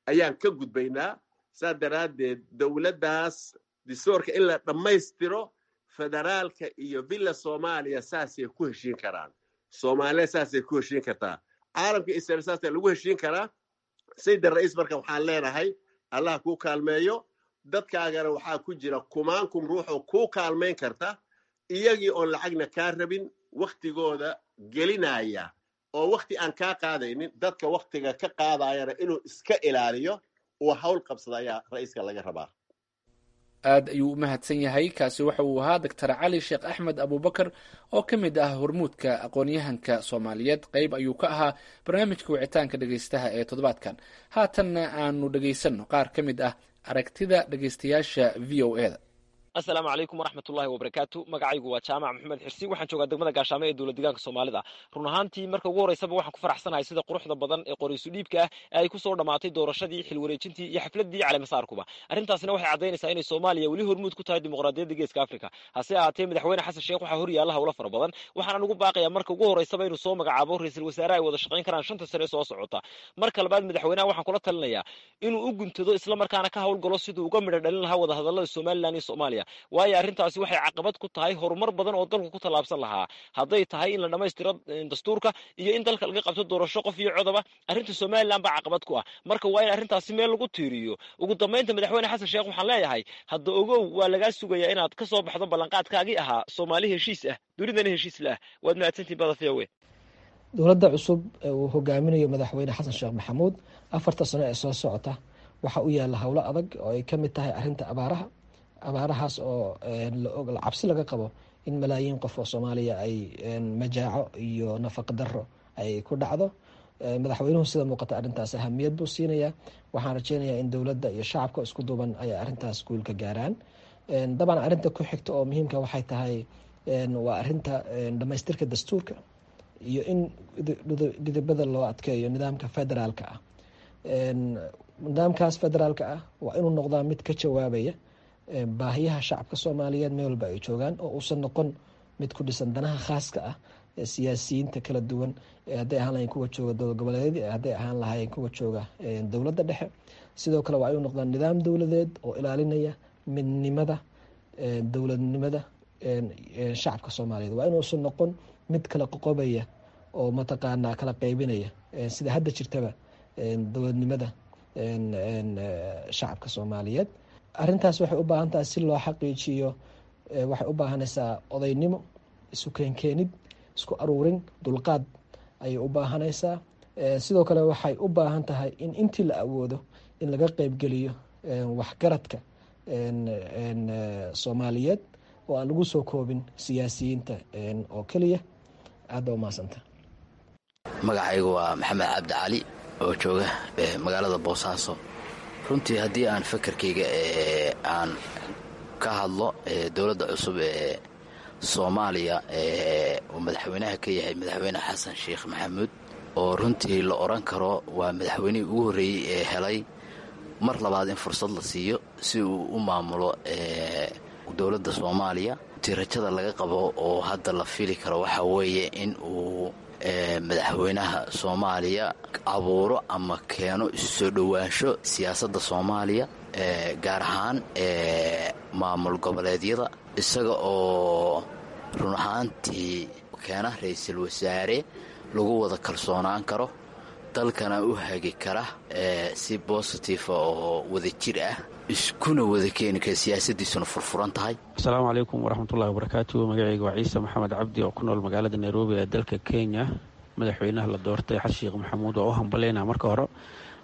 S18: ayaan ka gudbaynaa. Saa daraaddeed dowladdaas distoorka in la dhammaystiro, federaalka iyo Villa Soomaaliya saasay ku heshiin karaan, Soomaaliya saasay ku heshiin kartaa, caalamka Israel saasay lagu heshiin karaa. Sayid Ra'iis, marka waxaan leenahay Allah kuu kaalmeeyo. Dadkaagana waxaa ku jira kumaankum ruuxoo kuu kaalmayn karta, iyagii oon lacagna kaa rabin, waktigooda gelinaya. oo wakti aan kaa qaadaynin, dadka waktiga ka qaadayana inuu iska ilaaliyo, uu hawl qabsada ayaa ra-iiska laga rabaa.
S17: Aad ayuu u mahadsan yahay. Kaasi waxa uu ahaa Doctor Cali Sheekh Axmed Abuubakar oo ka mid ah hormuudka aqoon-yahanka Soomaaliyeed. Qayb ayuu ka ahaa barnaamijka wicitaanka dhegeystaha ee toddobaadkan. Haatanna aanu dhegeysanno qaar ka mid ah aragtida dhegeystayaasha VOA da.
S2: Asalaamu calaykum waraxmatullahi wabarakaatu. Magacaygu waa Jaamac Maxamed Xirsi, waxaan joogaa degmada Gaashaamo ee dowlad deegaanka Soomaalida. Run ahaantii, marka ugu horreysaba waxaan ku faraxsanahay sida quruxda badan ee qoraysu dhiibka ah ee ay kusoo dhammaatay doorashadii, xilwareejintii iyo xafladii caleemasaarkuba. Arrintaasina waxay caddaynaysaa inay Soomaaliya weli hormuud ku tahay dimuqraadiyadda Geeska Afrika. Hase ahaatee, Madaxweyne Xasan Sheekh waxaa hor yaalla howlo fara badan. Waxaana ugu baaqayaa marka ugu horreysaba inuu soo magacaabo ra-iisul wasaare ay wada shaqayn karaan 5ta sane ee soo socota. Marka labaad, madaxweynaha waxaan kula talinayaa inuu u guntado islamarkaana ka howlgalo siduu uga midho dhalin lahaa wadahadallada Somaliland iyo Soomaaliya, waayo arrintaasi waxay caqabad ku tahay horumar badan oo dalku ku tallaabsan lahaa, hadday tahay in la dhammaystiro dastuurka iyo in dalka laga qabto doorasho qof iyo codoba. Arrinta Somaliland baa caqabad ku ah, marka waa in arrintaasi meel lagu tiiriyo. Ugu dambaynta, Madaxweyne Xasan Sheekh waxaan leeyahay: hadda ogow, waa lagaa sugayaa inaad ka soo baxdo ballanqaadkaagii ahaa Soomaali heshiis ah, dunidana heshiis la ah. Waad mahadsantihin bada VOA.
S19: Dowladda cusub ee uu hogaaminayo Madaxweyne Xasan Sheekh Maxamuud 4ta sano ee soo socota waxaa u yaalla howlo adag oo ay ka mid tahay arrinta abaaraha, abaarahaas oo cabsi laga qabo in malaayiin qof oo Soomaaliya ay majaaco iyo nafaqa daro ay ku dhacdo. Madaxweynuhu sida muuqata arrintaas ahamiyad buu siinayaa. Waxaan rajeynayaa in dowladda iyo shacabka isku duuban ay arrintaas guul ka gaaraan. Dabcan, arrinta ku xigta oo muhiimka waxay tahay waa arrinta dhamaystirka dastuurka iyo in dhidibada loo adkeeyo nidaamka federaalka ah. Nidaamkaas federaalka ah waa inuu noqdaa mid ka jawaabaya baahiyaha shacabka Soomaaliyeed meel walba ay joogaan, oo uusan noqon mid ku dhisan danaha khaaska ah ee siyaasiyiinta kala duwan, hadday ahaan lahayen kuwa jooga dowlad goboleedyada, hadday ahaan lahaayeen kuwa jooga dowladda dhexe. Sidoo kale waa inuu noqdaa nidaam dowladeed oo ilaalinaya midnimada dowladnimada shacabka Soomaaliyeed. Waa inuusan noqon mid kala qoqobaya oo mataqaanaa kala qeybinaya, sida hadda jirtaba, dowladnimada shacabka Soomaaliyeed. Arrintaas waxay u baahan tahay, si loo xaqiijiyo, waxay u baahanaysaa odaynimo, isu keenkeenid, isku aruurin, dulqaad ayay u baahanaysaa. Sidoo kale waxay u baahan tahay in intii la awoodo in laga qeybgeliyo waxgaradka Soomaaliyeed oo aan lagu soo koobin siyaasiyiinta oo keliya. Aad ba umahadsanta.
S3: Magacaygu waa Maxamed Cabdi Cali oo jooga magaalada Boosaaso. Runtii, haddii aan fakarkayga aan ka hadlo dowladda cusub ee Soomaaliya uu madaxweynaha ka yahay Madaxweyne Xasan Sheekh Maxamuud, oo runtii la odhan karo waa madaxweynihii ugu horreeyey ee helay mar labaad in fursad la siiyo si uu u maamulo dowladda Soomaaliya, runtii rajada laga qabo oo hadda la fili karo waxaa weeye in uu madaxweynaha Soomaaliya abuuro ama keeno isu soo dhowaansho siyaasadda Soomaaliya, gaar ahaan maamul goboleedyada, isaga oo run ahaantii keena ra-iisul wasaare lagu wada kalsoonaan karo, dalkana u hagi kara si positive oo wadajir ah, iskuna wada keeni kara, siyaasadiisuna furfuran tahay.
S20: Asalaamu calaykum waraxmatullahi wabarakaatu. Magacayga waa Ciise Maxamed Cabdi oo ku nool magaalada Nairobi ee dalka Kenya. Madaxweynaha la doortay Xasan Sheekh Maxamuud waa u hambaleyna marka hore.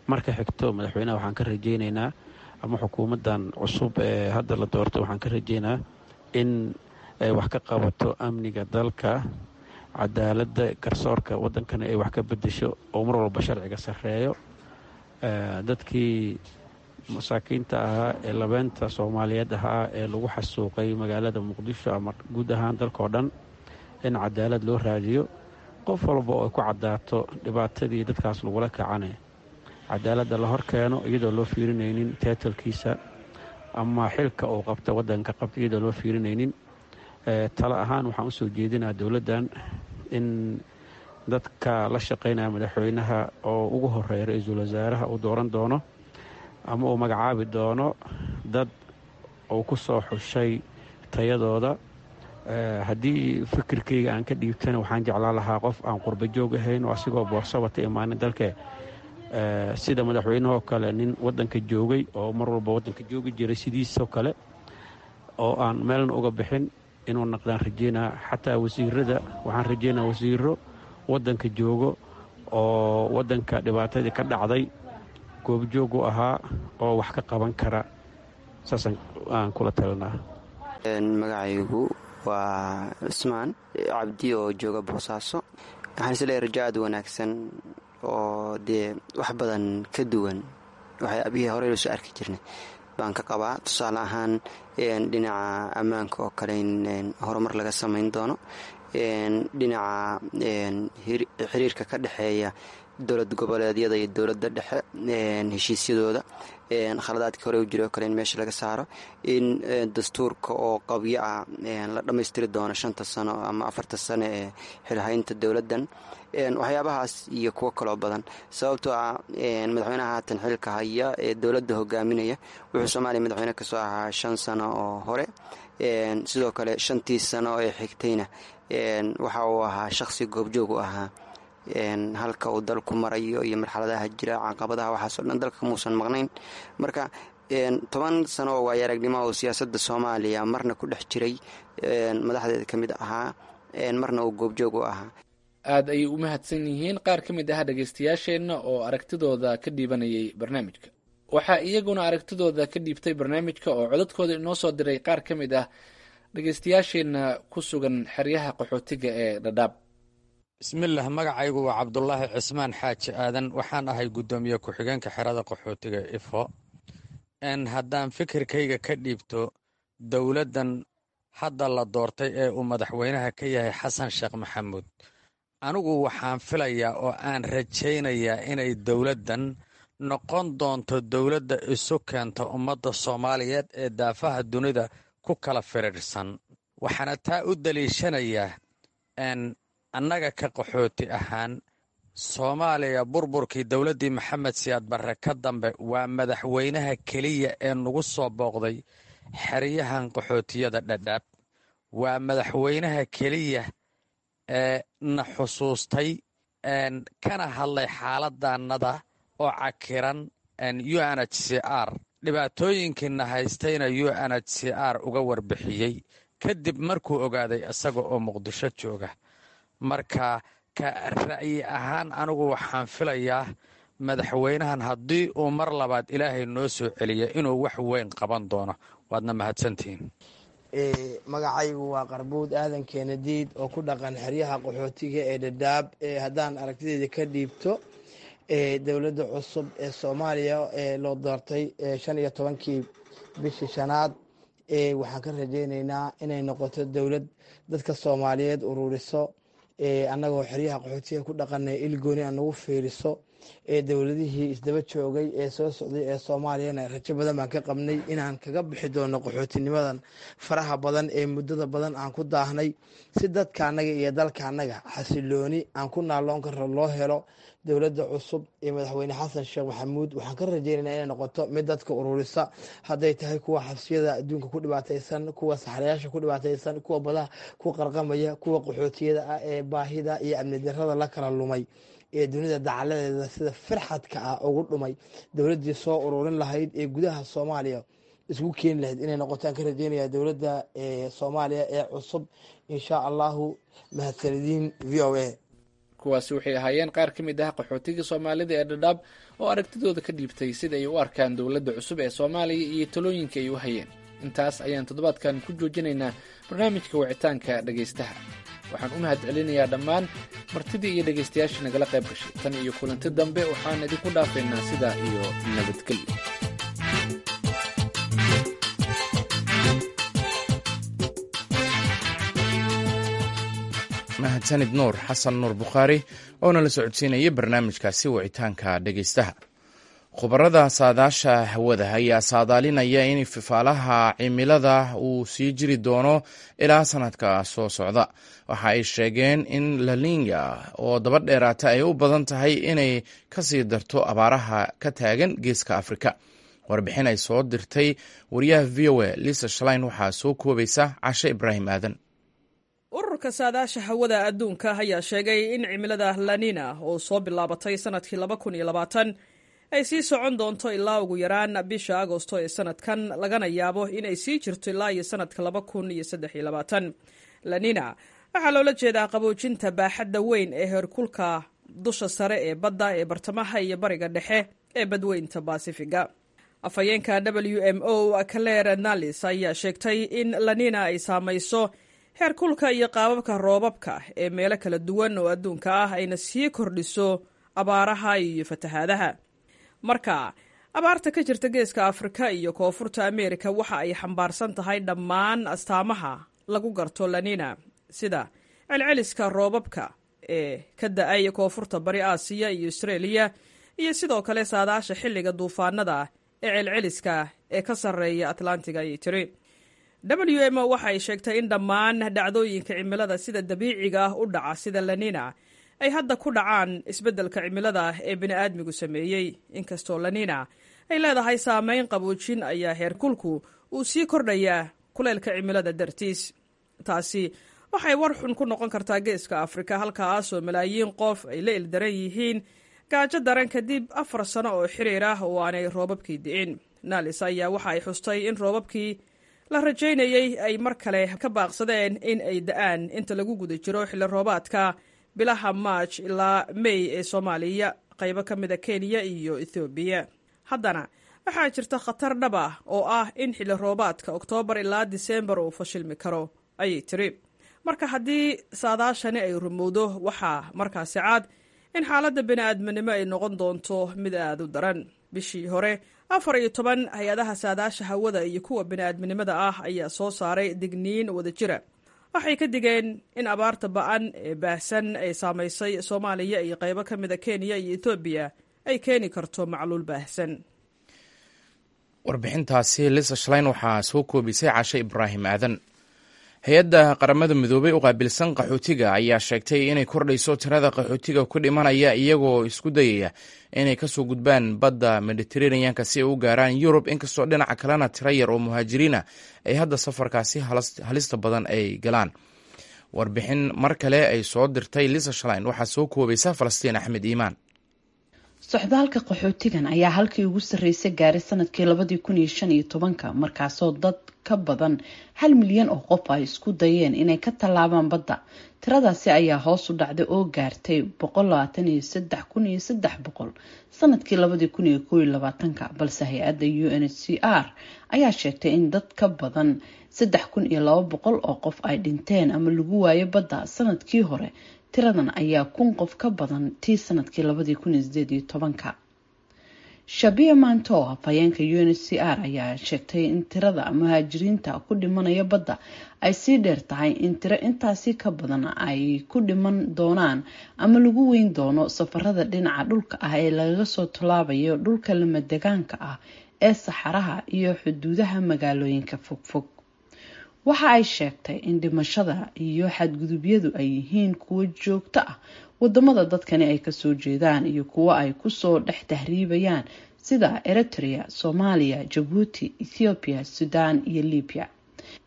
S20: Marka xigto, madaxweynaha waxaan ka rajeyneynaa ama xukuumaddan cusub ee hadda la doortay waxaan ka rajeynaa in ay wax ka qabato amniga dalka, cadaaladda, garsoorka waddankana ay wax ka bedesho oo mar walba sharciga sarreeyo. Dadkii masaakiinta ahaa ee labeenta Soomaaliyeed ahaa ee lagu xasuuqay magaalada Muqdisho ama guud ahaan dalkao dhan in cadaalad loo raadiyo. Qof walba oo ay ku caddaato dhibaatadii dadkaas lagula kacane, cadaaladda la hor keeno, iyadoo loo fiirinaynin title-kiisa ama xilka uu qabta waddanka qabta, iyadoo loo fiirinaynin. Talo ahaan waxaan usoo jeedinaa dowladdan in dadka la shaqaynaya madaxweynaha oo ugu horeeya ra-iisul wasaaraha uu dooran doono ama uu magacaabi doono dad uu ku soo xushay tayadooda. Haddii fikirkayga aan ka dhiibtana, waxaan jeclaan lahaa qof aan qurba joog ahayn oo asigoo boorso wata imaanin dalke, sida madaxweynahoo kale, nin waddanka joogay oo mar walba waddanka joogi jiray sidiisoo kale oo aan meelna uga bixin inuu naqdaan rajeynaa. Xataa wasiirada waxaan rajeynaa wasiiro waddanka joogo oo waddanka dhibaatadii ka dhacday goobjoog u ahaa oo wax ka qaban kara, saasaan aan kula talinaa.
S21: Magacaygu waa Cismaan Cabdi oo jooga Boosaaso. Waxaan isleeyahay rajo aad wanaagsan oo dee wax badan ka duwan waxay abihii horey loo soo arki jirnay baan ka qabaa. Tusaale ahaan, dhinaca ammaanka oo kale in horumar laga samayn doono, dhinaca xiriirka ka dhexeeya dowlad goboleedyada iyo dowladda dhexe, heshiisyadooda, khaladaadkii hore u jiray oo kale in meesha laga saaro, in dastuurka oo qabyo ah la dhammaystiri doono 5ta sano ama 4ta sano ee xilhaynta dowladdan, waxyaabahaas iyo kuwo kaloo badan. Sababtoo ah madaxweynaha haatan xilka haya ee dowladda hogaaminaya wuxuu Soomaaliya madaxweyne kasoo ahaa 5 sano oo hore. Sidoo kale 5tii sano ee xigtayna waxa uu ahaa shaqsi goobjoog u ahaa halka uu dalku marayo iyo marxaladaha jira, caqabadaha, waxaasoo dhan dalka muusan maqnayn. Marka 10 sano oo waayo aragnimo oo siyaasadda Soomaaliya marna ku dhex jiray, madaxdeeda ka mid ahaa, marna uu goobjoog u ahaa.
S17: Aad ayay u mahadsan yihiin qaar ka mid ah dhegaystayaasheenna oo aragtidooda ka dhiibanayay barnaamijka. Waxaa iyaguna aragtidooda ka dhiibtay barnaamijka oo codadkooda inoo soo diray qaar ka mid ah dhegaystayaasheenna ku sugan xeryaha qaxootiga ee Dhadhaab.
S22: Bismillaah, magacaygu waa Cabdulaahi Cismaan Xaaji Aadan. Waxaan ahay guddoomiye ku-xigeenka xerada qaxootiga Ifo. Haddaan fikirkayga ka dhiibto dowladdan hadda la doortay ee uu madaxweynaha ka yahay Xasan Sheekh Maxamuud, anigu waxaan filayaa oo aan rajaynayaa inay dowladdan noqon doonto dowladda isu keenta ummadda Soomaaliyeed ee daafaha dunida ku kala firiirsan. Waxaana taa u daliishanayaa, annaga ka qaxooti ahaan, Soomaaliya burburkii dowladdii Maxamed Siyaad Barre ka dambe waa madaxweynaha keliya ee nagu soo booqday xeryahan qaxootiyada Dhadhaab. Waa madaxweynaha keliya ee na xusuustay kana hadlay xaaladannada oo cakiran, UNHCR dhibaatooyinkiina haystayna UNHCR uga warbixiyey kadib markuu ogaaday isaga oo Muqdisho jooga. Marka ka ra'yi ahaan anigu waxaan filayaa madaxweynahan haddii uu mar labaad Ilaahay noo soo celiya inuu wax weyn qaban doono. Waadna mahadsantihiin.
S4: Magacaygu waa Qarbuud Aadan Keenadiid oo ku dhaqan xeryaha qaxootiga ee Dhadhaab. Haddaan aragtideeda ka dhiibto dowladda cusub ee Soomaaliya ee loo doortay 15-kii bishii shanaad, waxaan ka rajeyneynaa inay noqoto dowlad dadka Soomaaliyeed ururiso, annagoo xeryaha qaxootiga ku dhaqanay ilgooni aan nagu fiiriso. Dowladihii isdaba joogay ee soo socday ee Soomaaliyana rajo badan baan ka qabnay inaan kaga bixi doono qaxootinimadan faraha badan ee muddada badan aan ku daahnay, si dadka annaga iyo dalka annaga xasilooni aan ku naaloon karno loo helo. Dowladda cusub ee madaxweyne Xasan Sheekh Maxamuud waxaan ka rajeynayna inay noqoto mid dadka ururisa, hadday tahay kuwa xabsiyada adduunka ku dhibaataysan, kuwa saxrayaasha ku dhibaataysan, kuwa badaha ku qarqamaya, kuwa qaxootiyada ah ee baahida iyo amni darrada la kala lumay ee dunida dacaladeeda sida firxadka ah ugu dhumay. Dowladdii soo ururin lahayd ee gudaha Soomaaliya isku keeni lahayd inay noqotaan ka rajeynaya dowladda Soomaaliya ee cusub, insha Allahu. Mahadsanediin VOA.
S17: Kuwaasi waxay ahaayeen qaar ka mid ah qaxootiga Soomaalida ee Dhadhaab oo aragtidooda ka dhiibtay sida ay u arkaan dowladda cusub ee Soomaaliya iyo talooyinka ay u hayeen. Intaas ayaan toddobaadkan ku joojinaynaa barnaamijka wicitaanka dhegaystaha. Waxaan u mahad celinayaa dhammaan martidii iyo dhegaystayaashii nagala qayb gashay. Tan iyo kulanti dambe, waxaan idinku dhaafaynaa sidaa iyo nabadgelyo.
S1: Mahadsanid Nuur Xasan Nuur Bukhaari oo nala socodsiinaya barnaamijkaasi wicitaanka dhegaystaha. Khubarada saadaasha hawada ayaa saadaalinaya in fifaalaha cimilada uu sii jiri doono ilaa sanadka soo socda. Waxa ay sheegeen in Lalinga oo daba dheeraata ay u badan tahay inay kasii darto abaaraha ka taagan geeska Afrika. Warbixin ay soo dirtay wariyaha VOA Lisa Shalein waxaa soo koobaysa Cashe Ibraahim Aadan.
S23: Ururka saadaasha hawada adduunka ayaa sheegay in cimilada Lanina oo soo bilaabatay sanadkii ay sii socon doonto ilaa ugu yaraan bisha Agosto ee sanadkan, lagana yaabo inay sii jirto ilaa iyo sanadka. Lanina Waxaa loola jeedaa qaboojinta baaxadda weyn ee heerkulka dusha sare ee badda ee bartamaha iyo bariga dhexe ee badweynta Baasifiga. Afhayeenka WMO Claire Nalis ayaa sheegtay in Lanina ay saamayso heerkulka iyo qaababka roobabka ee meelo kala duwan oo adduunka ah, ayna sii kordhiso abaaraha iyo fatahaadaha. Marka abaarta ka jirta Geeska Afrika iyo Koonfurta Ameerika waxa ay xambaarsan tahay dhammaan astaamaha lagu garto Lanina, sida celceliska roobabka ee ka da-ay Koonfurta Bari Aasiya iyo Austraeliya, iyo sidoo kale saadaasha xilliga duufaanada ee celceliska ee ka sarreeya Atlantiga, ayay tiri. WMO waxa ay sheegtay in dhammaan dhacdooyinka cimilada sida dabiiciga ah u dhaca sida Lanina ay hadda ku dhacaan isbeddelka cimilada ee bini'aadmigu sameeyey. Inkastoo Lanina ay leedahay saameyn qaboojin, ayaa heerkulku uu sii kordhayaa kuleylka cimilada dartiis. Taasi waxay war xun ku noqon kartaa Geeska Afrika, halkaasoo malaayiin qof ay la ildaran yihiin gaajo daran kadib 4 sano oo xiriir ah oo aanay roobabkii di'in. Nalis ayaa waxa ay xustay in roobabkii la rajaynayey ay mar kale ka baaqsadeen in ay da'aan inta lagu guda jiro xilli roobaadka bilaha Maaj ilaa Mey ee Soomaaliya, qaybo ka mida Kenya iyo Ethoobiya. Haddana waxaa jirta khatar dhab ah oo ah in xilli roobaadka Oktoobar ilaa Diseembar uu fashilmi karo, ayay tiri. Marka haddii saadaashani ay rumowdo, waxaa markaasi cad in xaaladda bini'aadminimo ay noqon doonto mid aad u daran. Bishii hore, 14 hay-adaha saadaasha hawada iyo kuwa bini'aadminimada ah ayaa soo saaray digniin wadajira. Waxay ka digeen in abaarta ba'an ee baahsan ay saamaysay Soomaaliya iyo qaybo ka mida Kenya iyo Etoobiya ay keeni karto macluul baahsan.
S1: Warbixintaasi Lisa Shlein waxaa soo koobisay Cashe Ibraahim Aadan. Hay-adda Qaramada Midoobay u qaabilsan qaxootiga ayaa sheegtay inay kordhayso tirada qaxootiga ku dhimanaya iyagoo isku dayaya inay kasoo gudbaan badda Mediteraneanka si ay u gaaraan Yurub, inkastoo dhinaca kalena tiro yar oo muhaajiriina ay hadda safarkaasi halista badan ay galaan. Warbixin mar kale ay soo dirtay Lisa Shlein waxaa soo koobaysa Falastiin Axmed Iimaan.
S7: Socdaalka qaxootigan ayaa halkii ugu sarreysay gaaray sanadkii 2015-ka, markaasoo dad ka badan 1 milyan oo qof ay isku dayeen inay ka tallaabaan badda. Tiradaasi ayaa hoos u dhacday oo gaartay 123,300 sanadkii 2021-ka, balse hay-adda UNHCR ayaa sheegtay in dad ka badan 3,200 oo qof ay dhinteen ama lagu waayo badda sanadkii hore. Tiradan ayaa 1,000 qof ka badan tii sanadkii 2018-ka. Shabia Manto, afhayeenka UNHCR, ayaa sheegtay in tirada muhaajiriinta ku dhimanaya badda ay sii dheer tahay in tiro intaasi ka badan ay ku dhiman doonaan ama lagu weyn doono safarada dhinaca dhulka ah ee lagaga soo tallaabayo dhulka lamadegaanka ah ee saxaraha iyo xuduudaha magaalooyinka fogfog. Waxa ay sheegtay in dhimashada iyo xadgudubyadu ay yihiin kuwo joogto ah wadamada dadkani ay kasoo jeedaan iyo kuwo ay kusoo dhex tahriibayaan, sida Eritrea, Soomaaliya, Jabuuti, Ethiopia, Sudan iyo Libya.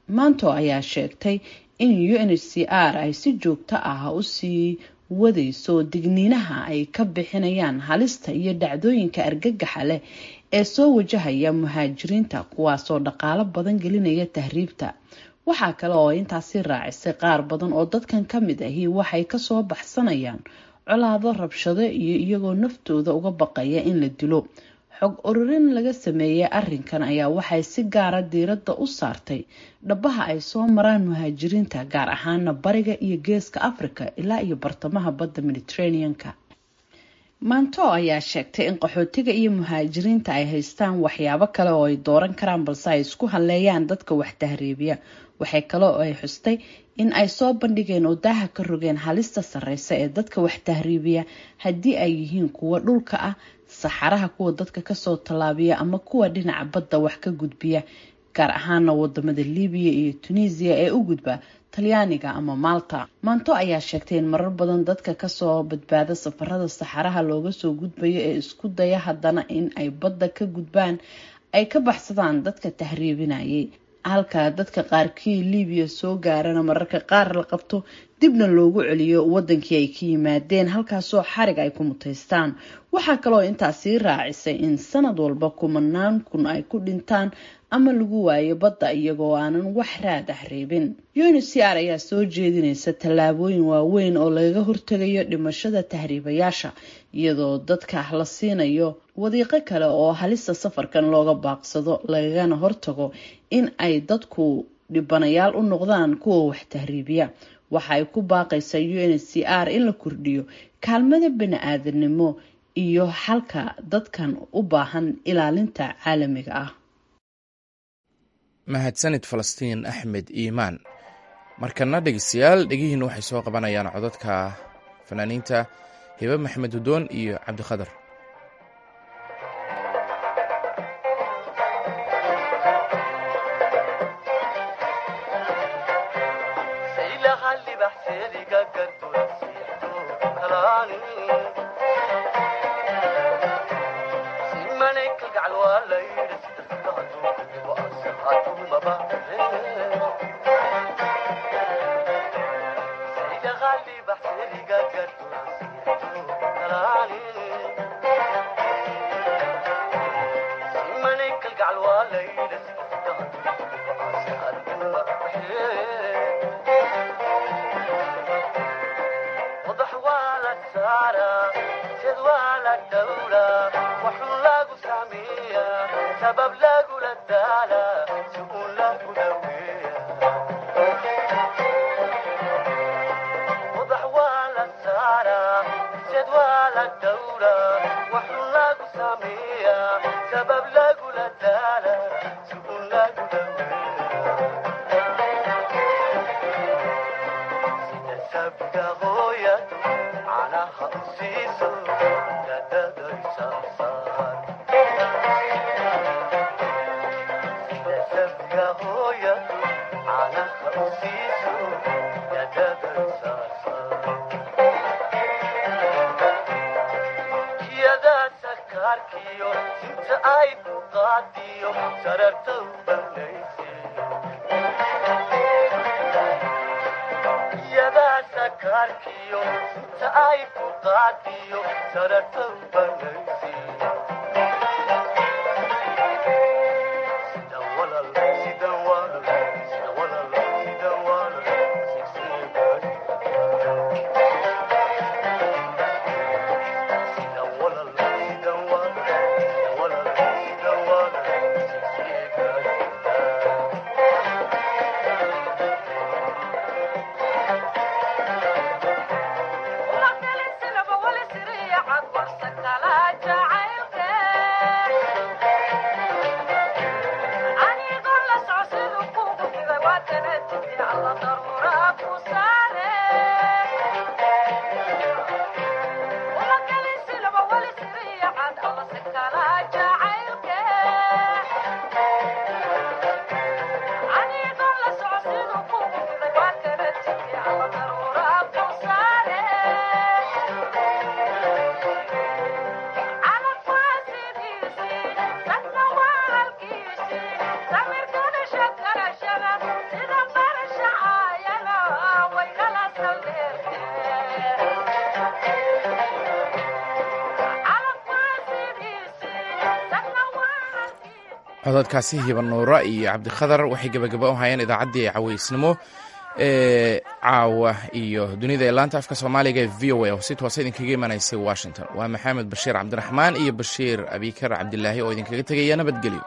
S7: Manto ayaa sheegtay in UNHCR ay si joogto ah usii wadayso digniinaha ay ka bixinayaan halista iyo dhacdooyinka argagaxa leh ee soo wajahaya muhaajiriinta, kuwaasoo dhaqaalo badan gelinaya tahriibta. Waxaa kale oo intaasi raacisay qaar badan oo dadkan ka mid ahi waxay kasoo baxsanayaan colaado, rabshado iyo iyagoo naftooda uga baqaya in la dilo. Xog ururin laga sameeyey arinkan ayaa waxay si gaara diiradda u saartay dhabaha ay soo maraan muhaajiriinta, gaar ahaana bariga iyo geeska Africa ilaa iyo bartamaha badda Mediterranean-ka. Manto ayaa sheegtay in qaxootiga iyo muhaajiriinta ay haystaan waxyaabo kale oo ay dooran karaan, balse ay isku halleeyaan dadka wax tahriibiya. Waxay kale oo ay xustay in ay soo bandhigeen oo daaha ka rogeen halista sarreysa ee dadka wax tahriibiya, haddii ay yihiin kuwa dhulka ah, saxaraha kuwa dadka kasoo tallaabiya ama kuwa dhinaca badda wax ka gudbiya, gaar ahaana wadamada Libiya iyo Tunisiya ee u gudba Talyaaniga ama Malta. Manto ayaa sheegtay in marar badan dadka kasoo badbaada safarada saxaraha looga soo gudbayo ee isku daya haddana in ay badda ka gudbaan ay ka baxsadaan dadka tahriibinayay, halka dadka qaarkii Libiya soo gaarana mararka qaar la qabto Dibna loogu celiyo wadankii ay ka yimaadeen, halkaasoo xarig ay ku mutaystaan. Waxaa kaloo intaasi raacisay in sanad walba kumanaan kun ay ku dhintaan ama lagu waayo badda iyagoo aanan wax raad ah reebin. UNHCR ayaa soo jeedinaysa tallaabooyin waaweyn oo lagaga hortegayo dhimashada tahriibayaasha, iyadoo dadka la siinayo wadiiqo kale oo halista safarkan looga baaqsado, lagagana hortago in ay dadku dhibanayaal u noqdaan kuwa wax tahriibiya. Waxa ay ku baaqaysaa UNHCR in la kordhiyo kaalmada bani-aadanimo iyo xalka dadkan u baahan ilaalinta caalamiga ah.
S1: Mahadsanid Falastiin Axmed Iimaan. Markana dhegeystayaal, dhegihiina waxay soo qabanayaan codadka fanaaniinta Hibe Maxamed Hudoon iyo Cabdikhadar. Codadkaasi Hibanuura iyo Cabdikhadar waxay gabagaba u hayeen idaacaddii caweysnimo ee caawa iyo dunida ee laanta afka Soomaaliga ee VOA oo si toosa idinkaga imanaysay Washington. Waa Maxamed Bashiir Cabdiraxmaan iyo Bashiir Abikar Cabdilaahi oo idinkaga tegaya nabadgelyo.